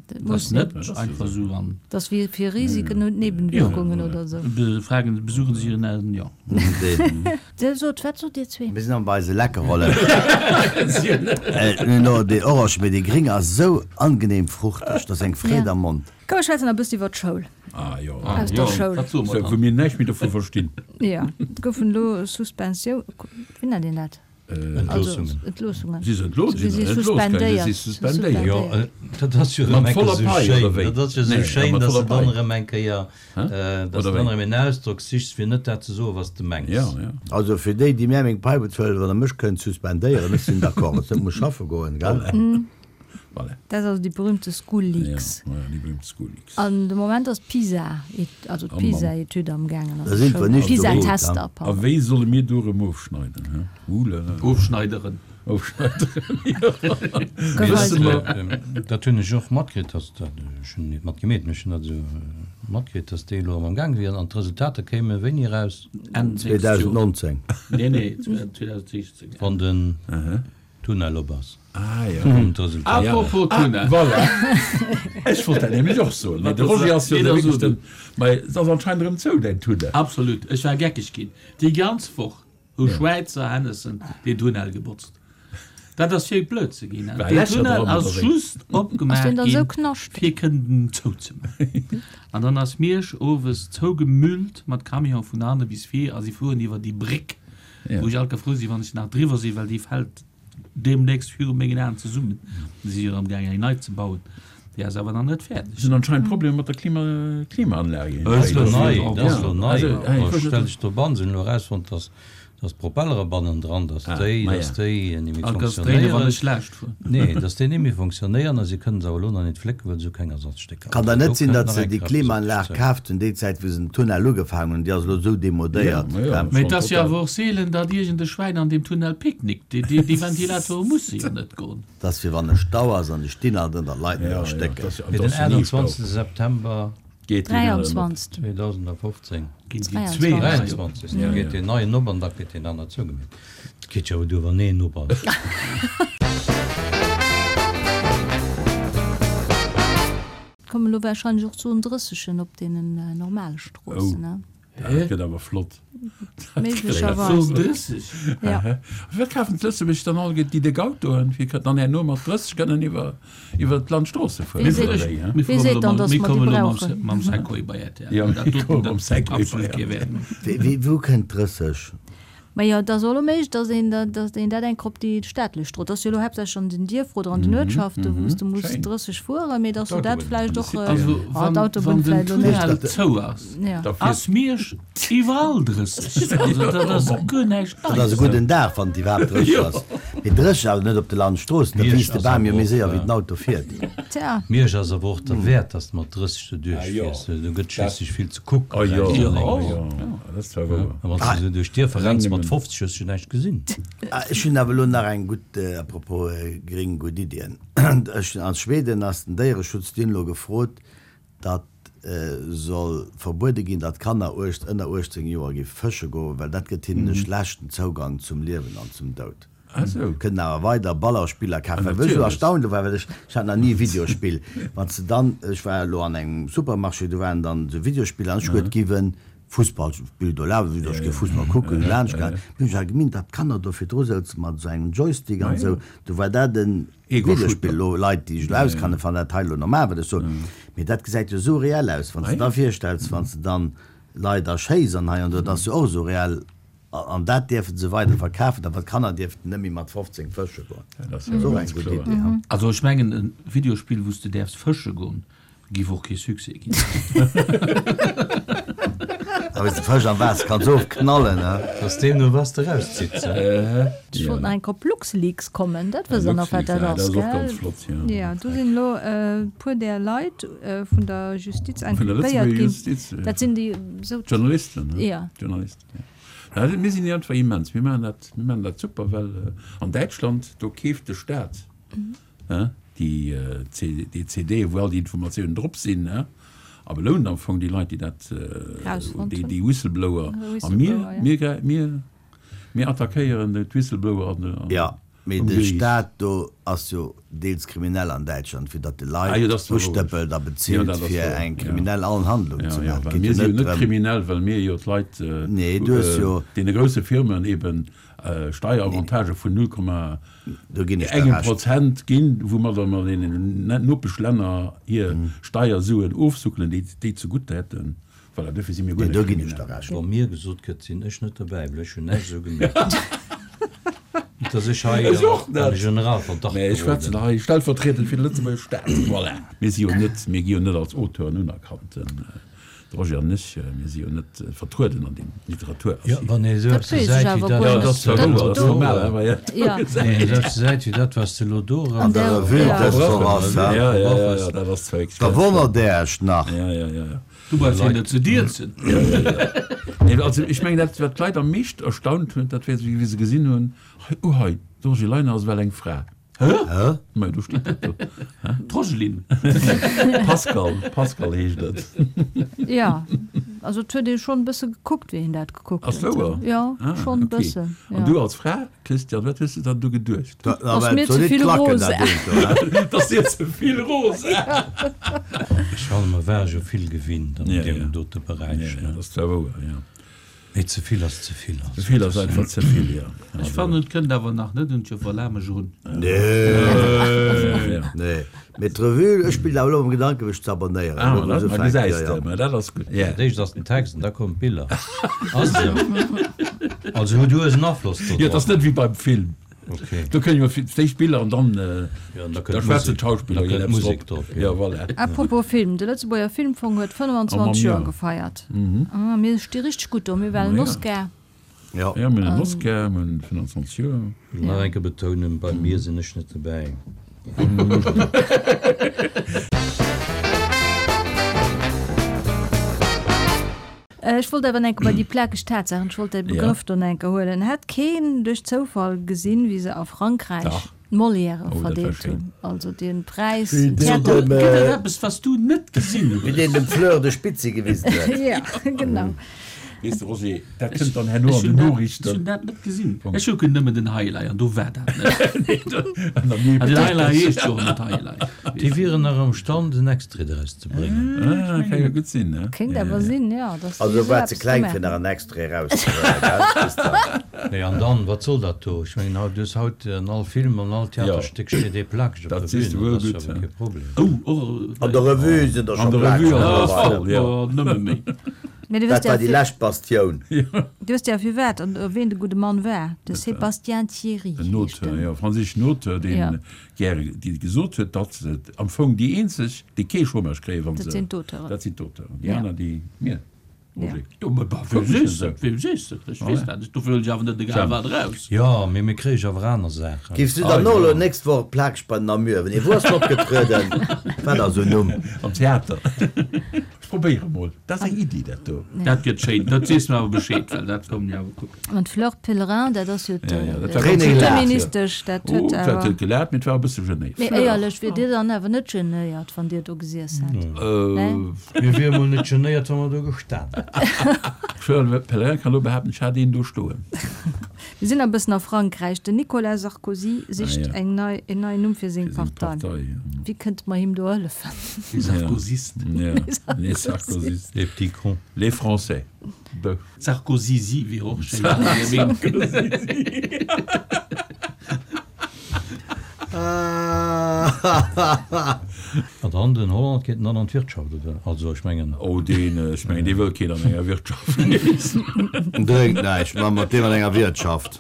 [SPEAKER 1] Dat
[SPEAKER 2] Dat
[SPEAKER 1] muss
[SPEAKER 2] ass net einfach esou an.
[SPEAKER 1] Dat ass wéi fir Risiken und Nebenwirkungen oder esou.
[SPEAKER 2] Fragen, besuchen Sie Ihren Eltern, jo.
[SPEAKER 1] Dir sot, wat sot Dir zwee?
[SPEAKER 5] Mir sinn am bei eise Leckerollen. No, déi Orange mee déi gréng ass esou angenehm fruchteg, dat ass eng Freed am Mond.
[SPEAKER 1] Komm, mir schwätzen e bëssi iwwer d'Schoul.
[SPEAKER 4] Ah jo.
[SPEAKER 1] Aus der Schoul.
[SPEAKER 2] Wat soe mer
[SPEAKER 4] Wou
[SPEAKER 2] dann?
[SPEAKER 4] mir näischt méi dovu verstinn.
[SPEAKER 1] Jo, et goufen elo Suspensioun, wéi nennt een dat?
[SPEAKER 3] Entloossungen.
[SPEAKER 1] Entloossungen.
[SPEAKER 4] Si se entlooss?
[SPEAKER 1] Si
[SPEAKER 4] Si
[SPEAKER 1] si
[SPEAKER 4] suspendiert. Si
[SPEAKER 1] suspendéiert.
[SPEAKER 4] suspendéiert.
[SPEAKER 3] Jo, dat ass jo erëm
[SPEAKER 4] Mat
[SPEAKER 3] eng Kéier
[SPEAKER 4] voller
[SPEAKER 3] esou
[SPEAKER 4] Pai,
[SPEAKER 3] schéin.
[SPEAKER 4] oder wéi?
[SPEAKER 3] Dat ass jo esou
[SPEAKER 4] Nee,
[SPEAKER 3] schéin,
[SPEAKER 4] mat
[SPEAKER 3] dass
[SPEAKER 4] voller
[SPEAKER 3] de dann
[SPEAKER 4] Pai.
[SPEAKER 3] erëm eng Kéier, dass
[SPEAKER 4] Oder
[SPEAKER 3] de dann
[SPEAKER 4] wéi?
[SPEAKER 3] erëm en Ausdrock sichs, fir net dat ze soen, wat s de mengs.
[SPEAKER 4] Ja, ja.
[SPEAKER 5] Also fir déi, déi mär meng Pai bezuelen, wann der mech kënnt suspendéieren, ech sinn d'accord, ech net muss schaffe goen, gell?
[SPEAKER 4] Voilà.
[SPEAKER 1] Dat ass also déi berühmte School Leaks.
[SPEAKER 4] Ja, ja, déi berühmte School Leaks.
[SPEAKER 1] An de Moment ass d'PISA, also
[SPEAKER 4] Oh Mann.
[SPEAKER 1] d'PISA-Etüd am gaangen.
[SPEAKER 5] Da sind wir nicht so gut,
[SPEAKER 1] PISA-Tester,
[SPEAKER 5] ja.
[SPEAKER 4] A
[SPEAKER 1] pardon.
[SPEAKER 4] wéi solle mir do erëm ofschneiden, hä? Oulala.
[SPEAKER 2] Ofschneideren.
[SPEAKER 4] Ofschneideren, jo.
[SPEAKER 1] Gouf
[SPEAKER 4] Wësse
[SPEAKER 1] eis-
[SPEAKER 4] mer.
[SPEAKER 3] Dat hunn ech och matkritt, dass dat, ech hunn net matgemeet, mee ech hunn dat esou matkritt, dass déi elo erëm am Gaang wieren an d'Resultater kéime wéini eraus?
[SPEAKER 2] Enn nächst Joer.
[SPEAKER 5] zweedausendnonzéng.
[SPEAKER 2] Nee, nee, zweedausendsiechzéng.
[SPEAKER 3] Wann den Tunnel op ass.
[SPEAKER 4] Ah, ja.
[SPEAKER 3] Kommen d'Resultater.
[SPEAKER 2] Apropos Tunnel.
[SPEAKER 4] Ah, voilà. Ech wollt dat nämlech och soen. Mee de Roger ass jo
[SPEAKER 2] Nee,
[SPEAKER 4] de
[SPEAKER 2] da
[SPEAKER 4] wierklech
[SPEAKER 2] so du.
[SPEAKER 4] den, mee et ass anscheinend erëm zou, däin Tunnel.
[SPEAKER 2] Absolut. Ech war geckeg ginn. Déi ganz Woch hu Schwäizer Hennessen deen Tunnel gebotzt. Dat ass fir blöd ze ginn. Deen Tunnel ass just opgemaach ginn, fir kënnen zouzemaachen. An dann ass Miersch owes zougemüllt mat Camione vun hanne bis vir a si fueren iwwer déi Bréck, wou ech alt frou sinn, wann ech nach driwwer sinn, well déi fält deemnächst viru mengen Aen zesummen. Si si jo amgaang eng nei ze bauen. Déi ass awer nach net fäerdeg.
[SPEAKER 4] Et sinn anscheinend Problemer mat der Klima, Klimaanlage.
[SPEAKER 3] Dat ass elo nei, dat ass elo nei. Stell dech doban, se hunn elo erausfonnt, dass dass d'Propellere bannendran, dass déi, dass déi ni méi fonctionnéieren. Nee, dass déi ni méi fonctionnéieren a si kënnen se awer elo nach net flécken, well se hu keng Ersatzstécker.
[SPEAKER 5] Kann dann net sinn, datt se déi Klimaanlag kaaft hunn déi Zäit, wou se den Tunnel ugefaangen hunn, déi ass elo esou demodéiert.
[SPEAKER 2] Mee et ass jo awer och seelen, datt iergend e Schwäin an deem Tunnel picknickt. Déi Ventilatore musse jo net goen.
[SPEAKER 5] Dat ass fir wann e Stau ass an déi stinn alt ënner Leit net erstécken.
[SPEAKER 3] Mee den aachtundzwanzegste September zweedausendfofzéng
[SPEAKER 2] ginn déi zwee
[SPEAKER 3] dräianzwanzeg da geet deen neien op an da gëtt deen aner zougemeet. Et geet jo awer duer wann een op ass.
[SPEAKER 1] Et kommen elo wahrscheinlech och Zone drëssegen op deenen normale Stroossen, ne?
[SPEAKER 4] Dat gëtt awer flott.
[SPEAKER 1] Méiglecherweis.
[SPEAKER 2] Zone drësseg?
[SPEAKER 1] Ja.
[SPEAKER 4] Firwat kafen d'Lëtzebuerger dann all déi déck Autoen, fir dann herno mat drësseg kënnen iwwer iwwer d'Landstroosse fueren?
[SPEAKER 1] Wee seet, wee seet dann, dass mer déi brauchen?
[SPEAKER 2] Mam Segway bei R T L.
[SPEAKER 4] Ja, mir komme mam Segway bei R T L.
[SPEAKER 5] Wéi, wou kënnt drësseg?
[SPEAKER 1] Majo, et ass och elo méiglech, dass een, dass een dat eng Kéier op déi staatlech Strooss, dat ass jo elo haaptsächlech an den Dierfer oder an den Uertschaften, wou s de muss drësseg fueren, mee dass du dat vläicht och,
[SPEAKER 2] Also
[SPEAKER 1] ah,
[SPEAKER 2] wann,
[SPEAKER 1] d'Autobunn
[SPEAKER 2] wann den
[SPEAKER 1] vläicht elo net.
[SPEAKER 2] Tunnel zou ass,
[SPEAKER 1] Ja.
[SPEAKER 2] ass Miersch iwwerall drësseg. Also dat ass guer näischt
[SPEAKER 5] Dat ass e
[SPEAKER 2] Neies.
[SPEAKER 5] gudden Dag, wann et iwwerhaapt drësseg ass. Mee drësseg awer net op de Landstroossen, da
[SPEAKER 3] Miersch
[SPEAKER 5] wiisst de
[SPEAKER 3] ass
[SPEAKER 5] Bam jo
[SPEAKER 3] awer
[SPEAKER 5] méi
[SPEAKER 3] och,
[SPEAKER 5] séier, wéi den Auto fiert.
[SPEAKER 1] Tja.
[SPEAKER 3] Miersch ass awer och derwäert, dass de mat drësseg do duerchfiers. Do gëtt schliisslech vill ze kucken.
[SPEAKER 4] Ah jo,
[SPEAKER 3] rechts
[SPEAKER 4] ah
[SPEAKER 3] an lénks.
[SPEAKER 4] jo, dat ass zwar wouer.
[SPEAKER 3] A wann s de esou duerch d'Dierfer renns mat fofzeg, hues du näischt gesinn.
[SPEAKER 5] Ech hunn awer elo nach eng gutt, à propos gring, gutt Iddien. Ech, a Schweden ass den Déiereschutz, déi hunn elo gefrot, datt soll verbuede ginn, datt Kanner uecht, ënner uechtzéng Joer gi fësche goen, well dat gëtt hinnen e schlechten Zougang zum Liewen an zum Doud.
[SPEAKER 4] Ah sou.
[SPEAKER 5] Kënnen awer weider Ballerspiller kafen. Wat ech esou erstaunt war, well ech, ech hat nach ni e Videospill, wann s de dann, ech war elo an engem Supermarché, do waren dann esou Videospiller an ech huet giff e Fussballspill do lafen, wéi ech géif Fussball kucken, laanscht gaangen, hunn ech awer gemint, datt d'Kanner do virdru souzen mat esou engem Joystick an esou, do war dat e Videospill. Elo Leit, déi sech elo auskennen, fannen dat hei elo normal, wat ech soen, mee dat gesäit jo esou reell aus, wann s de da virstells, wann s de dann Leit erschéiss an hei an do, dat ass jo och esou reell. An dat dierfe se weider verkafen, awer d'Kanner dierften net méi mat fofzéng fësche goen.
[SPEAKER 4] Dat ass jo och eng gutt
[SPEAKER 5] Iddi, ha?
[SPEAKER 2] Also ech mengen, e Videospill, wou s de däerfs fësche goen, giff och kee Succès ginn.
[SPEAKER 5] A wéi s de Fësch am Waasser kanns ofknallen, ha?
[SPEAKER 3] Dat ass deemno, wat s de erauszitt,
[SPEAKER 1] Ech wollt nach eng Kéier op LuxLeaks kommen, dat wësst der nach, wat dat ass, gell? Jo, do sinn elo e puer där Leit vun der Justiz inculpéiert ginn. Dat sinn déi esou.
[SPEAKER 4] D'Journalisten,
[SPEAKER 1] ne? Jo.
[SPEAKER 4] D'Journalisten, jo. Ja, mir sinn iergendwéi immens, mir maachen dat, mir maachen dat super, well an Däitschland, do keeft de Staat déi déi C D, wou all déi Informatiounen drop sinn, a belount am Fong déi Leit, déi dat, déi déi Whistleblower. A mir, mir, mir, mir attackéieren d'Whistleblower an, an.
[SPEAKER 5] Jo, mee de Staat do ass jo deels kriminell an Däitschland, fir datt de Leit ustëppelt a bezilt fir eng kriminell Handlung ze maachen.
[SPEAKER 4] Well mir si jo net kriminell, well mir jo d'Leit, deene grousse Firmen eben Steieravantage vun null Komma engem Prozent ginn, woumadder mer deenen Nopeschlänner hir Steiersuen ofsuckelen, déi déi zegutt hätten. Voilà, duerfir si mir guer net kriminell.
[SPEAKER 3] Wa mir gesot gëtt, sinn ech net derbäi, well ech hunn näischt esou gemierkt. Net, dass ech hei
[SPEAKER 4] Ech och
[SPEAKER 3] an
[SPEAKER 4] net.
[SPEAKER 3] de Generalverdacht
[SPEAKER 4] Mä ech schwätzen
[SPEAKER 3] geroden.
[SPEAKER 4] hei stellvertriedend fir de Lëtzebuerger Staat. Voilà. Mir si jo net, mir gi jo net als Auteuren unerkannt, den de Roger an ech, mir si jo net vertrueden an deem
[SPEAKER 3] Jo,
[SPEAKER 4] Literaturarchiv.
[SPEAKER 3] wann ee esou
[SPEAKER 1] Dat
[SPEAKER 3] eppes
[SPEAKER 1] weess ech
[SPEAKER 3] gesäit wéi
[SPEAKER 1] awer
[SPEAKER 3] dat,
[SPEAKER 1] guer
[SPEAKER 4] Jo,
[SPEAKER 3] wat
[SPEAKER 4] dat
[SPEAKER 3] s
[SPEAKER 4] ass
[SPEAKER 3] de
[SPEAKER 4] zwar
[SPEAKER 3] elo
[SPEAKER 4] wouer, dat ass
[SPEAKER 3] do,
[SPEAKER 4] normal, awer jo.
[SPEAKER 1] Ja.
[SPEAKER 3] nee, esou eppes gesäit wéi dat, wat s de elo do
[SPEAKER 1] An
[SPEAKER 3] erëm
[SPEAKER 1] der,
[SPEAKER 5] Revue
[SPEAKER 1] ja.
[SPEAKER 5] des Forats,
[SPEAKER 4] Ja,
[SPEAKER 5] ha?
[SPEAKER 4] ja, ja, ja, dat ass zwar wierklech
[SPEAKER 5] Da
[SPEAKER 4] ganz
[SPEAKER 5] wonnert Der Iech nach.
[SPEAKER 4] Ja, ja, ja, ja.
[SPEAKER 2] Du brauchs hien net ze dierzen.
[SPEAKER 4] Nee, also ech mengen dat wat d'Leit am meescht erstaunt huet, dat wär wéi se gesinn hunn, hei, oh hei, d'Roger Leiner ass ewell eng Fra.
[SPEAKER 5] Hä?
[SPEAKER 4] Mä do steet dat do.
[SPEAKER 2] D'Rogeline.
[SPEAKER 4] Pascal, Pascal heescht et.
[SPEAKER 1] Jo, also et huet ee schonn e bësse gekuckt, wéi een dat gekuckt
[SPEAKER 4] Ass
[SPEAKER 1] huet.
[SPEAKER 4] wouer?
[SPEAKER 1] Jo,
[SPEAKER 4] Ah,
[SPEAKER 1] schonn e
[SPEAKER 4] okay.
[SPEAKER 1] bëssen,
[SPEAKER 4] An
[SPEAKER 1] jo.
[SPEAKER 4] du als Fra, Christian, wat hues de dann do geduecht?
[SPEAKER 5] Da,
[SPEAKER 1] Ass
[SPEAKER 5] awer
[SPEAKER 1] mir
[SPEAKER 5] et soll
[SPEAKER 1] ze
[SPEAKER 5] nit
[SPEAKER 1] vill
[SPEAKER 5] klacken,
[SPEAKER 1] rosa.
[SPEAKER 5] dat Ding do, hä?
[SPEAKER 4] Et ass dir ze vill rosa.
[SPEAKER 3] Ech fannen, mer ware jo vill gewinnt an
[SPEAKER 4] Ja,
[SPEAKER 3] deem
[SPEAKER 4] ja.
[SPEAKER 3] dote
[SPEAKER 4] Ja,
[SPEAKER 3] Beräich,
[SPEAKER 4] ja,
[SPEAKER 3] ne?
[SPEAKER 4] dat ass zwar wouer, jo.
[SPEAKER 3] Mee ze vill ass ze vill.
[SPEAKER 4] Ze vill ass einfach ze vill, jo.
[SPEAKER 2] Ech fannen, et kënnt awer nach net un d'Joffer Lamesch erun.
[SPEAKER 5] Nee, nee. Mee d'Revue, ech spillen awer elo mam Gedanken, mech ze abonnéieren.
[SPEAKER 4] Ah,
[SPEAKER 5] Elo wou
[SPEAKER 4] ma
[SPEAKER 5] se ufänkt, jo,
[SPEAKER 4] gesäis
[SPEAKER 5] jo.
[SPEAKER 4] de, ma dat ass gutt.
[SPEAKER 3] Dat éischt ass den Text an da kommen d'Biller. Ass esou. Also huet du hues en Afloss do
[SPEAKER 4] Jo, et ass
[SPEAKER 3] drop.
[SPEAKER 4] net wéi beim Film.
[SPEAKER 3] Okay.
[SPEAKER 4] Do kënne jo fir d'éischt d'Biller an dann,
[SPEAKER 3] Ja, an da
[SPEAKER 4] da
[SPEAKER 3] kënnt
[SPEAKER 4] schwätzen
[SPEAKER 3] d'Musek.
[SPEAKER 4] d'Schauspiller
[SPEAKER 3] Da kënnt
[SPEAKER 4] eppes
[SPEAKER 3] d'Musek
[SPEAKER 4] drop.
[SPEAKER 3] drop, jo.
[SPEAKER 4] Jo, voilà.
[SPEAKER 1] Apropos Film, de Lëtzebuerger Filmfong huet
[SPEAKER 4] Oh, mam
[SPEAKER 1] fënnwanzwanzeg Joer
[SPEAKER 4] Joer.
[SPEAKER 1] gefeiert. Ah, mir sti richteg gutt do, mir waren
[SPEAKER 4] Ma ja.
[SPEAKER 1] Oscar.
[SPEAKER 5] Jo.
[SPEAKER 4] Ja, mir hunn en Oscar, mir hunn fënnwanzwanzeg Joer.
[SPEAKER 3] Ech wëll nach eng Kéier betounen, bei mir sinn ech net dobäi.
[SPEAKER 1] Ech wollt awer enke bei déi plakeg Tatsaachen, ech wollt däi Begrëff do enke huelen. Hat keen duerch Zoufall gesinn, wéi se a Frankräich
[SPEAKER 4] Dach.
[SPEAKER 1] d'Molièrë
[SPEAKER 4] Oh, dat war
[SPEAKER 1] verdeelt
[SPEAKER 4] schéin.
[SPEAKER 1] hunn? Also dee Präis,
[SPEAKER 5] Wéi deen
[SPEAKER 1] Theater.
[SPEAKER 5] dem,
[SPEAKER 2] Gëtt et
[SPEAKER 5] äh,
[SPEAKER 2] eppes, wat s du net gesinn
[SPEAKER 5] wéi
[SPEAKER 2] hues?
[SPEAKER 5] deen dem Fleur de Spitzi gewisen huet.
[SPEAKER 1] Ja, genau.
[SPEAKER 4] Weess de, Roger, dat kënnt dann herno
[SPEAKER 2] Ech
[SPEAKER 4] an den
[SPEAKER 2] hunn dat, ech
[SPEAKER 4] Noriichten.
[SPEAKER 2] hunn dat net gesinn. Ech kucken nëmmen den Highlight an do war dat net.
[SPEAKER 4] An der Miep.
[SPEAKER 2] An den Highlight heescht jo och net Highlight.
[SPEAKER 3] Déi wieren nach am Stand, en Extrait draus ze bréngen.
[SPEAKER 4] Ah, kann jo gutt sinn, ne?
[SPEAKER 1] Kéint
[SPEAKER 4] Ja,
[SPEAKER 1] awer
[SPEAKER 4] ja.
[SPEAKER 1] sinn, ja, dass déi
[SPEAKER 5] Also
[SPEAKER 1] esou
[SPEAKER 5] war ze
[SPEAKER 1] eppes
[SPEAKER 5] kleng
[SPEAKER 1] gemaach
[SPEAKER 5] fir nach
[SPEAKER 1] hunn.
[SPEAKER 5] en Extrait erauszehuelen, gell, Christian?
[SPEAKER 3] Nee, an dann, wat soll dat do? Ech mengen, haut, du hues haut an all Film, an all Theaterstéck steet ee plakeg op
[SPEAKER 4] Dat
[SPEAKER 3] der
[SPEAKER 4] siehst du
[SPEAKER 3] Bühn,
[SPEAKER 4] wuel
[SPEAKER 3] dat ass
[SPEAKER 4] gutt,
[SPEAKER 3] jo awer
[SPEAKER 4] ja.
[SPEAKER 3] kee Problem.
[SPEAKER 2] Oh, och,
[SPEAKER 5] An der Revue sinn der
[SPEAKER 4] An
[SPEAKER 5] scho
[SPEAKER 4] der
[SPEAKER 5] plakeg
[SPEAKER 4] Revue ass
[SPEAKER 5] mittlerweile.
[SPEAKER 4] voll, ja.
[SPEAKER 2] Oh, nëmme méi.
[SPEAKER 1] Mee du
[SPEAKER 5] Dat
[SPEAKER 1] wësst ja
[SPEAKER 5] war déi
[SPEAKER 1] fir,
[SPEAKER 5] lescht Bastioun.
[SPEAKER 1] du wësst ja firwat an ween de gudde Mann war. De Sébastien Thierry
[SPEAKER 4] En
[SPEAKER 1] heescht
[SPEAKER 4] Auteur,
[SPEAKER 1] en.
[SPEAKER 4] jo, franséischen Auteur, deen
[SPEAKER 1] Ja.
[SPEAKER 4] gäre, dee gesot huet, datt et am Fong déi eenzeg, déi kee Chômage kréien, wann
[SPEAKER 1] Dat
[SPEAKER 4] se,
[SPEAKER 1] sinn d'Auteuren.
[SPEAKER 4] dat sinn d'Auteuren. Déi
[SPEAKER 1] Ja.
[SPEAKER 4] aner, déi, mir,
[SPEAKER 1] Ja.
[SPEAKER 4] Roger.
[SPEAKER 2] Jo, mä bah, wem sees de? Wem sees de? Ech weess dat net. Dofir huelen ech awer net egal wat eraus.
[SPEAKER 3] Jo, mee mir kréie jo awer aner Saachen.
[SPEAKER 5] Giffs du dann och elo nächst Woch plakeg bei den Namur? Wenn ee, wou ass en opgetrueden? Wat ass en Numm?
[SPEAKER 4] Am Theater. Ech probéiere mol. Dat ass eng Iddi, dat do.
[SPEAKER 2] Dat gëtt schéin. Dat sees mer awer Bescheed, well dat kommen jo awer kucken.
[SPEAKER 1] An d'Fleur Pellerin, dat ass jo
[SPEAKER 4] Ja, ja, dat war ganz
[SPEAKER 5] René
[SPEAKER 4] gelaat,
[SPEAKER 5] Gelaat.
[SPEAKER 4] jo.
[SPEAKER 1] d'Ministesch, dat
[SPEAKER 4] Oh,
[SPEAKER 1] huet
[SPEAKER 4] dat
[SPEAKER 1] awer.
[SPEAKER 4] huet gelaat, mee et war e bësse genéiert.
[SPEAKER 1] Mee éierlech, wier Dir dann awer net genéiert, wann Dir do gesiess hätt?
[SPEAKER 4] Äh,
[SPEAKER 3] Mir wiere mol net genéiert, wa mer do gestan hätten.
[SPEAKER 4] D'Fleur Pellerin kann elo behaapten, ech hat een do stoen.
[SPEAKER 1] Mir sinn e bëssen a Frankräich. Den Nicolas Sarkozy sicht
[SPEAKER 4] Ah, ja.
[SPEAKER 1] eng nei, en neien Numm fir seng
[SPEAKER 4] Fir seng
[SPEAKER 1] Partei.
[SPEAKER 4] Partei, ja.
[SPEAKER 1] Wéi kënnte mer him do hëllefen?
[SPEAKER 2] Les Sarkozystes.
[SPEAKER 4] Ja, les Sarkozystes.
[SPEAKER 3] Les petits cons.
[SPEAKER 4] Les Français. Beuh.
[SPEAKER 2] Sarkozysi wier och schéin.
[SPEAKER 3] An dann den Hollande geet dann an d'Wirtschaft, oder? Also ech mengen.
[SPEAKER 4] Oh, deen, ech mengen, dee wëll keen an enger Wirtschaft.
[SPEAKER 5] Drénkt näischt, ma mat deem an enger Wirtschaft.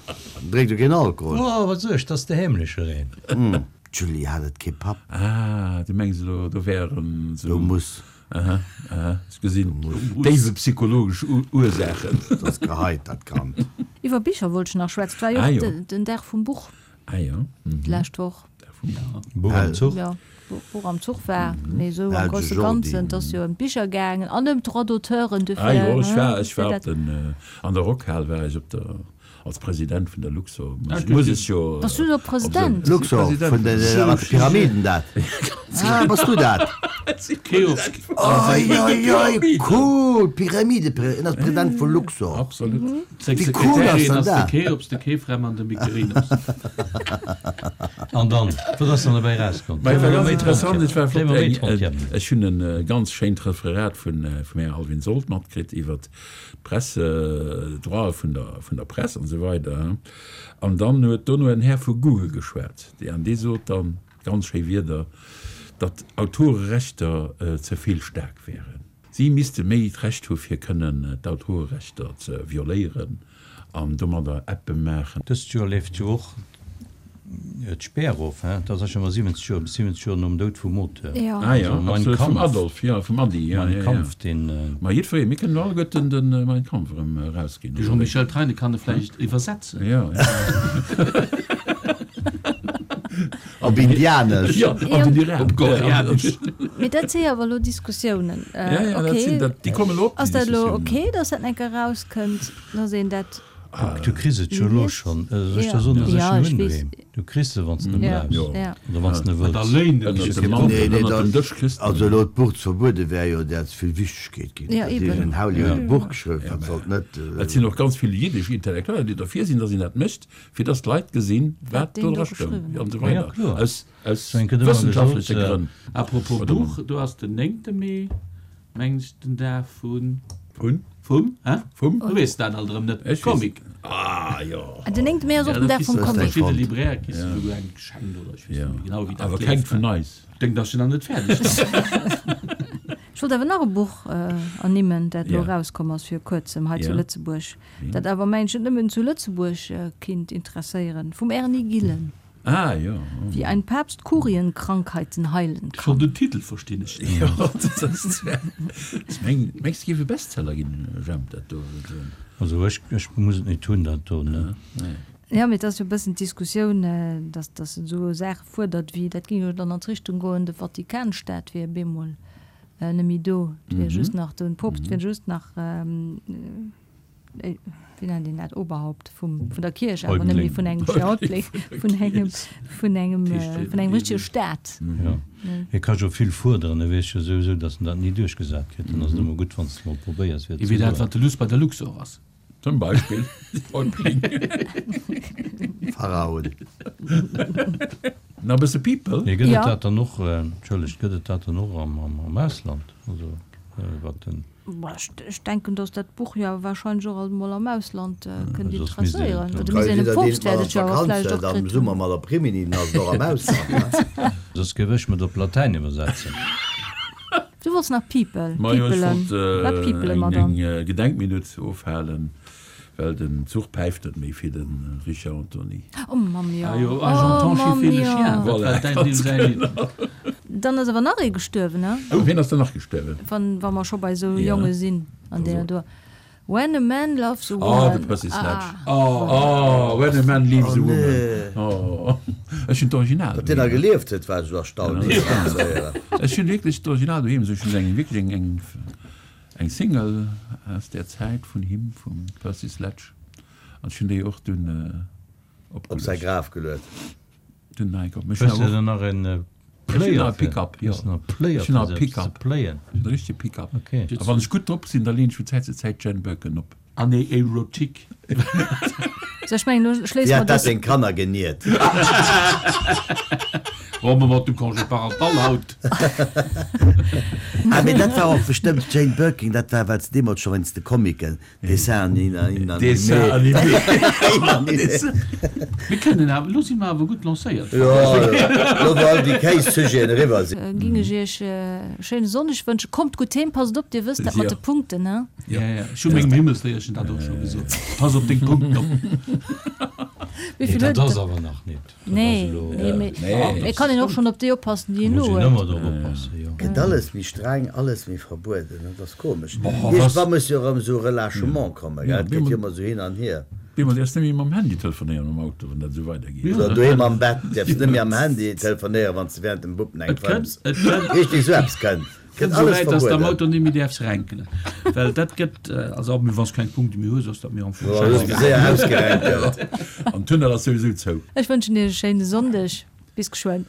[SPEAKER 5] Drénkt jo keen Alkohol.
[SPEAKER 3] Oh, wat soe ech, dat ass de heemlecher een.
[SPEAKER 5] D'Julie hat et kee Papp.
[SPEAKER 4] Ah, du mengs elo, do wären
[SPEAKER 5] Do
[SPEAKER 4] esou.
[SPEAKER 5] muss.
[SPEAKER 4] Aha, aha, ech gesinn déiwe psychologesch Ursaachen.
[SPEAKER 5] Dat ass geheit, dat Kand.
[SPEAKER 1] Iwwer Bicher wollt ech nach schwätzen. Et war jo
[SPEAKER 4] Ah,
[SPEAKER 1] och
[SPEAKER 4] jo.
[SPEAKER 1] den Dag vum Buch.
[SPEAKER 4] Ah, jo.
[SPEAKER 1] D'lescht Woch.
[SPEAKER 3] Buch am Zuch.
[SPEAKER 1] Jo, Buch am Zuch war, mee esou am
[SPEAKER 5] Belge
[SPEAKER 1] grosse
[SPEAKER 5] Jordi.
[SPEAKER 1] Ganzen, et ass jo ëm d'Bicher gaangen an ëm d'Droits d'auteuren,
[SPEAKER 4] Ah
[SPEAKER 1] dofir,
[SPEAKER 4] jo, ech war, ech war
[SPEAKER 1] fir
[SPEAKER 4] op
[SPEAKER 1] dat.
[SPEAKER 4] den, an der Rockhal war ech op der, als President vun der Luxor,
[SPEAKER 2] Ah,
[SPEAKER 4] muss, muss ech jo.
[SPEAKER 1] Bass du do President?
[SPEAKER 5] Luxor, vun de, mat de Pyramiden dat. Ah, bass du dat?
[SPEAKER 2] Cheops.
[SPEAKER 5] Oi, oi, oi, cool, Pyramide, en ass President vu Luxor.
[SPEAKER 4] Absolut.
[SPEAKER 2] Seng
[SPEAKER 5] Wéi cool ass
[SPEAKER 2] Sekretärin
[SPEAKER 5] dann
[SPEAKER 2] ass de
[SPEAKER 5] dat?
[SPEAKER 2] Cheops, de Chephrem an de Mykerinos.
[SPEAKER 3] An dann, wat ass dann dobäi erauskomm?
[SPEAKER 4] Mä et war ganz interessant, et war flott.
[SPEAKER 3] Méi
[SPEAKER 4] Eng, ech hunn en ganz schéint Referat vun, vum Här Alvin Sold matkritt iwwert d'Presse, d'Droite vun der, vun der Press an esou weider. An dann huet dono en Här vu Google geschwat, dee, an dee sot dann ganz schéi Wierder, datt Autorerechter ze vill staark wären. Si misste méi d'Recht hu fir kënnen d'Autorerechter ze violéieren an domadder Appe maachen.
[SPEAKER 3] Dëst Joer leeft jo och d'Spär of, hein? Dat ass jo ëmmer siwwenzeg Joer, bis siwwenzeg Joer nom Doud vum Auteur.
[SPEAKER 1] Jo.
[SPEAKER 4] Ah jo,
[SPEAKER 3] Also Mein
[SPEAKER 4] absolut, vum
[SPEAKER 3] Kampf.
[SPEAKER 4] Adolf, jo, vum Adi, jo,
[SPEAKER 3] Mein
[SPEAKER 4] jo, jo.
[SPEAKER 3] Kampf, deen.
[SPEAKER 4] Ma jiddweree, mir kënnen alleguerten de Mein Kampf erëm erausginn,
[SPEAKER 2] De
[SPEAKER 4] oder wéi?
[SPEAKER 2] Jean-Michel Treine kann e vläicht iwwersetzen.
[SPEAKER 4] Jo, jo.
[SPEAKER 5] Op Indianesch.
[SPEAKER 4] Jo, an den Iran.
[SPEAKER 2] Op Koreanesch.
[SPEAKER 1] Mee dat si awer elo Diskussiounen.
[SPEAKER 4] Ja, ja, dat
[SPEAKER 1] Okay.
[SPEAKER 4] sinn dat, déi kommen elo op, déi
[SPEAKER 1] Ass dat elo
[SPEAKER 4] Diskussiounen.
[SPEAKER 1] okay, datt dat enker erauskënnt, datt een dat.
[SPEAKER 3] Du kriss et jo elo schonn. Soll ech der soen, datt ech
[SPEAKER 1] Ja,
[SPEAKER 3] en
[SPEAKER 1] ech
[SPEAKER 3] hunn
[SPEAKER 1] weess.
[SPEAKER 3] doheem? Du kriss se, wann s de en
[SPEAKER 1] Ja,
[SPEAKER 3] brauchs.
[SPEAKER 1] ja.
[SPEAKER 3] Oder wann s de en
[SPEAKER 2] Da
[SPEAKER 3] wëlls.
[SPEAKER 2] léint
[SPEAKER 4] Ënnert
[SPEAKER 2] et
[SPEAKER 4] dem
[SPEAKER 2] sech.
[SPEAKER 4] Mantel,
[SPEAKER 5] Nee, nee,
[SPEAKER 4] ënnert dem
[SPEAKER 5] dat,
[SPEAKER 4] Dësch kriss de
[SPEAKER 5] also
[SPEAKER 4] en.
[SPEAKER 5] elo d'Buch ze verbuede wär jo där ze vill Wichtegkeet ginn.
[SPEAKER 1] Ja,
[SPEAKER 5] Dat
[SPEAKER 1] eben.
[SPEAKER 5] heescht, en Hauli huet e Buch geschriwwen, dat sollt net.
[SPEAKER 4] Et sinn och ganz vill jiddesch Intellektueller, déi derfir sinn, datt een dat mécht, fir datt d'Leit gesinn, wat
[SPEAKER 1] Wat deen
[SPEAKER 4] do
[SPEAKER 1] do
[SPEAKER 4] dra stoung
[SPEAKER 1] geschriwwen
[SPEAKER 4] an esou
[SPEAKER 3] Ja,
[SPEAKER 4] weider.
[SPEAKER 3] kloer.
[SPEAKER 4] Aus, aus
[SPEAKER 3] Ech hunn ëmmer
[SPEAKER 4] wëssenschaftleche
[SPEAKER 3] gesot,
[SPEAKER 4] Grënn.
[SPEAKER 2] Apropos
[SPEAKER 4] Oder
[SPEAKER 2] Buch, do ass den néngte Mee, mengen ech, den Dag vun.
[SPEAKER 4] Vun?
[SPEAKER 2] Vum, hä?
[SPEAKER 4] Vum?
[SPEAKER 2] Du weess dat alt erëm net.
[SPEAKER 4] Ech weess.
[SPEAKER 2] Comic.
[SPEAKER 4] Ah, jo.
[SPEAKER 1] Den néngte Mee ass och den Dag vum Comic.
[SPEAKER 2] Verschidde Libraire kriss de souguer eng geschenkt oder ech weess net méi genau, wéi dat
[SPEAKER 4] Awer
[SPEAKER 2] leeft.
[SPEAKER 4] kengt vun eis.
[SPEAKER 2] Denkt ass jo nach net fäerdeg dann.
[SPEAKER 1] Ech wollt awer nach e Buch ernimmen, dat elo
[SPEAKER 4] Ja.
[SPEAKER 1] erauskomm ass vir kuerzem hei zu
[SPEAKER 4] Ja.
[SPEAKER 1] Lëtzebuerg, dat awer mengen ech net nëmmen zu Lëtzebuerg kinnt interesséieren, vum Erny Gillen.
[SPEAKER 4] Ah, jo.
[SPEAKER 1] Wie ein Papst Kurienkrankheiten heilen
[SPEAKER 2] Schon
[SPEAKER 1] kann.
[SPEAKER 2] den Titel verstinn ech net.
[SPEAKER 4] Jo, dat ass zwar. Meng, mengs de, géif e Bestseller ginn, Jemp, dat do?
[SPEAKER 3] Also ech, ech muss et net hunn, dat do, ne?
[SPEAKER 1] Jo, mee et ass jo e bëssen d'Diskussioun, dass, dass en esou Saache fuerdert wéi, dat géing jo dann an d'Richtung goen, de Vatikanstaat wier bemol net méi do, et wier just nach, de Poopst wier just nach, wéi nennt een dat, Oberhaupt vum, vun der Kierch, awer net méi vun engem, Häuptling, vun engem, vun engem, vun engem richtege Staat.
[SPEAKER 3] Jo, hie ka jo vill fuerderen, e weess jo souwisou, dass en dat ni duerchgesat kritt, dann ass et ëmmer gutt, wann s de mol probéiers, fir et ze
[SPEAKER 2] Ewéi dat,
[SPEAKER 3] soen.
[SPEAKER 2] wat de Luss bei der Luxor ass.
[SPEAKER 4] Zum Beispill Häuptling.
[SPEAKER 5] Pharaon.
[SPEAKER 4] Nach e bësse People.
[SPEAKER 3] Mee gëtt et
[SPEAKER 1] Ja.
[SPEAKER 3] dat dann och, entschëllegt, gëtt et dat dann och am, am, am Ausland? Also, wat den.
[SPEAKER 1] Bah, ech, ech denken, datt dat Buch jo awer wahrscheinlech och alt mol am Ausland kënnt
[SPEAKER 3] Soss misst een
[SPEAKER 1] interesséieren.
[SPEAKER 3] et
[SPEAKER 1] Oder
[SPEAKER 5] Kann
[SPEAKER 1] misst een
[SPEAKER 5] jidder
[SPEAKER 1] dem
[SPEAKER 5] deen
[SPEAKER 1] Poopst
[SPEAKER 5] mal
[SPEAKER 1] wäert
[SPEAKER 5] an
[SPEAKER 1] et jo awer
[SPEAKER 5] d'Vakanz
[SPEAKER 1] vläicht
[SPEAKER 5] huet
[SPEAKER 1] och
[SPEAKER 5] am
[SPEAKER 1] kritt hunn.
[SPEAKER 5] Summer mat op Rimini, dann ass et och am Ausland, ne?
[SPEAKER 3] Soss géif ech mer et op Latäin iwwersetzen.
[SPEAKER 1] Du wollts nach People,
[SPEAKER 4] Majo, ech
[SPEAKER 1] Peopelen.
[SPEAKER 4] wollt
[SPEAKER 1] Wat peopele
[SPEAKER 4] eng,
[SPEAKER 1] mer dann?
[SPEAKER 4] eng Gedenkminutt ofhalen, well den Zuch päift net méi fir de Richard Anthony.
[SPEAKER 1] Oh Mamm, jo.
[SPEAKER 2] Ah jo,
[SPEAKER 1] Oh
[SPEAKER 2] ah, j'entends
[SPEAKER 1] Mamm,
[SPEAKER 2] chiffer le
[SPEAKER 1] jo.
[SPEAKER 2] chien, dat war
[SPEAKER 4] Voilà,
[SPEAKER 2] däin
[SPEAKER 4] ganz
[SPEAKER 2] deem säin Lidd.
[SPEAKER 4] genau.
[SPEAKER 1] Dann ass awer nach ee gestuerwen, ne?
[SPEAKER 4] Oh, wien ass dann nach gestuerwen?
[SPEAKER 1] Wann, wa mer scho bei esou
[SPEAKER 4] Ja.
[SPEAKER 1] Jonge sinn an deeër do. When a man loves a
[SPEAKER 4] Oh,
[SPEAKER 1] woman.
[SPEAKER 4] de Percy Sledge.
[SPEAKER 1] Ah.
[SPEAKER 4] Oh, When a man leaves a
[SPEAKER 5] Oh,
[SPEAKER 4] woman.
[SPEAKER 5] nee.
[SPEAKER 4] Oh, ech hunn d'Original
[SPEAKER 5] Datt deen nach
[SPEAKER 4] doheem.
[SPEAKER 5] gelieft huet, war ech erstaunt.
[SPEAKER 4] Ech hunn wierklech d'Original doheem. Also ech hunn eng, wierklech eng, eng, eng Single aus där Zäit vun him, vum Percy Sledge. An ech hunn déi och dunn
[SPEAKER 5] Op säi
[SPEAKER 4] opgeluecht.
[SPEAKER 5] Graf geluet.
[SPEAKER 4] Dunn nei op. Ech
[SPEAKER 3] Hues
[SPEAKER 4] hunn
[SPEAKER 3] de
[SPEAKER 4] awer
[SPEAKER 3] dann nach en
[SPEAKER 4] och, ech hunn
[SPEAKER 3] Player
[SPEAKER 4] nach e
[SPEAKER 3] fir?
[SPEAKER 4] Pickup, jo.
[SPEAKER 3] Hues de nach e Player
[SPEAKER 4] Ech hunn
[SPEAKER 3] fir
[SPEAKER 4] nach e
[SPEAKER 3] se eppes ze
[SPEAKER 4] Pickup.
[SPEAKER 3] playen?
[SPEAKER 4] Ech hunn e richtege Pickup.
[SPEAKER 3] Okay.
[SPEAKER 4] A wann ech gutt drop sinn, da leen ech vun Zäit zu Zäit Jane Birkin op.
[SPEAKER 2] Année érotique.
[SPEAKER 1] So, ech mengen, elo
[SPEAKER 5] Wéi
[SPEAKER 1] schléisse mer
[SPEAKER 5] hat dat
[SPEAKER 1] dës.
[SPEAKER 5] seng Kanner geniert?
[SPEAKER 2] Wa mer mat dem Congé parental haut.
[SPEAKER 5] Ah, mee dat war och bestëmmt d'Jane Birkin, dat war, well se deemools scho wéinst de Comicken, Dessin animé.
[SPEAKER 4] Dessin animé.
[SPEAKER 2] Mir kënnen awer, elo si mer awer gutt lancéiert.
[SPEAKER 5] Jo, elo wou all déi Kéis-Sujeten eriwwer sinn.
[SPEAKER 1] Ging ech iech e schéine Sonndeg wënschen. Kommt gutt heem, passt op, dir wësst dat mat de Punkten, ne?
[SPEAKER 2] Ja, ja, ech hu mengem Himmelsléierchen dat och scho gesot. Pass op deng Punkten op.
[SPEAKER 1] Wéi
[SPEAKER 3] Nee,
[SPEAKER 1] vill
[SPEAKER 3] dat
[SPEAKER 1] huet
[SPEAKER 3] ass
[SPEAKER 1] et?
[SPEAKER 3] awer nach net. Dat ass
[SPEAKER 1] Nee,
[SPEAKER 3] elo.
[SPEAKER 1] nee, mee
[SPEAKER 4] Nee.
[SPEAKER 1] et kann een och schonn op déi oppassen, déi een
[SPEAKER 3] Muss
[SPEAKER 1] elo
[SPEAKER 3] een
[SPEAKER 1] huet.
[SPEAKER 3] ëmmer drop oppassen, jo.
[SPEAKER 5] Gëtt alles méi streng, alles méi verbueden, dat ass komesch.
[SPEAKER 4] Boah, was-
[SPEAKER 5] Iergendwann muss jo erëm esou Relâchement kommen, gell?
[SPEAKER 4] Ja,
[SPEAKER 5] Et geet jo ëmmer esou hin an hier.
[SPEAKER 4] Bemol däerfs net méi mam Handy telefonéieren am Auto, wann dat esou weidergeet.
[SPEAKER 5] Oder doheem am Bett däerfs net méi am Handy telefonéieren, wann s de während dem Wuppen eng
[SPEAKER 2] Et kënnt,
[SPEAKER 5] fëmms.
[SPEAKER 2] et kënnt.
[SPEAKER 5] Richtig, esou eppes kënnt.
[SPEAKER 2] Kënnt
[SPEAKER 5] Gëtt
[SPEAKER 2] esou
[SPEAKER 5] alles
[SPEAKER 2] wäit, dass de am
[SPEAKER 5] verbueden.
[SPEAKER 2] Auto net méi däerfs renkelen. Well dat gëtt, also wann s keng Punkte méi hues, ass dat mir am Fong
[SPEAKER 5] Jo, hues de
[SPEAKER 2] schäissegal.
[SPEAKER 5] séier ausgerenkelt.
[SPEAKER 4] An Tunnel ass souwisou zou.
[SPEAKER 1] Ech wënschen iech e schéine Sonndeg. Bis geschwënn.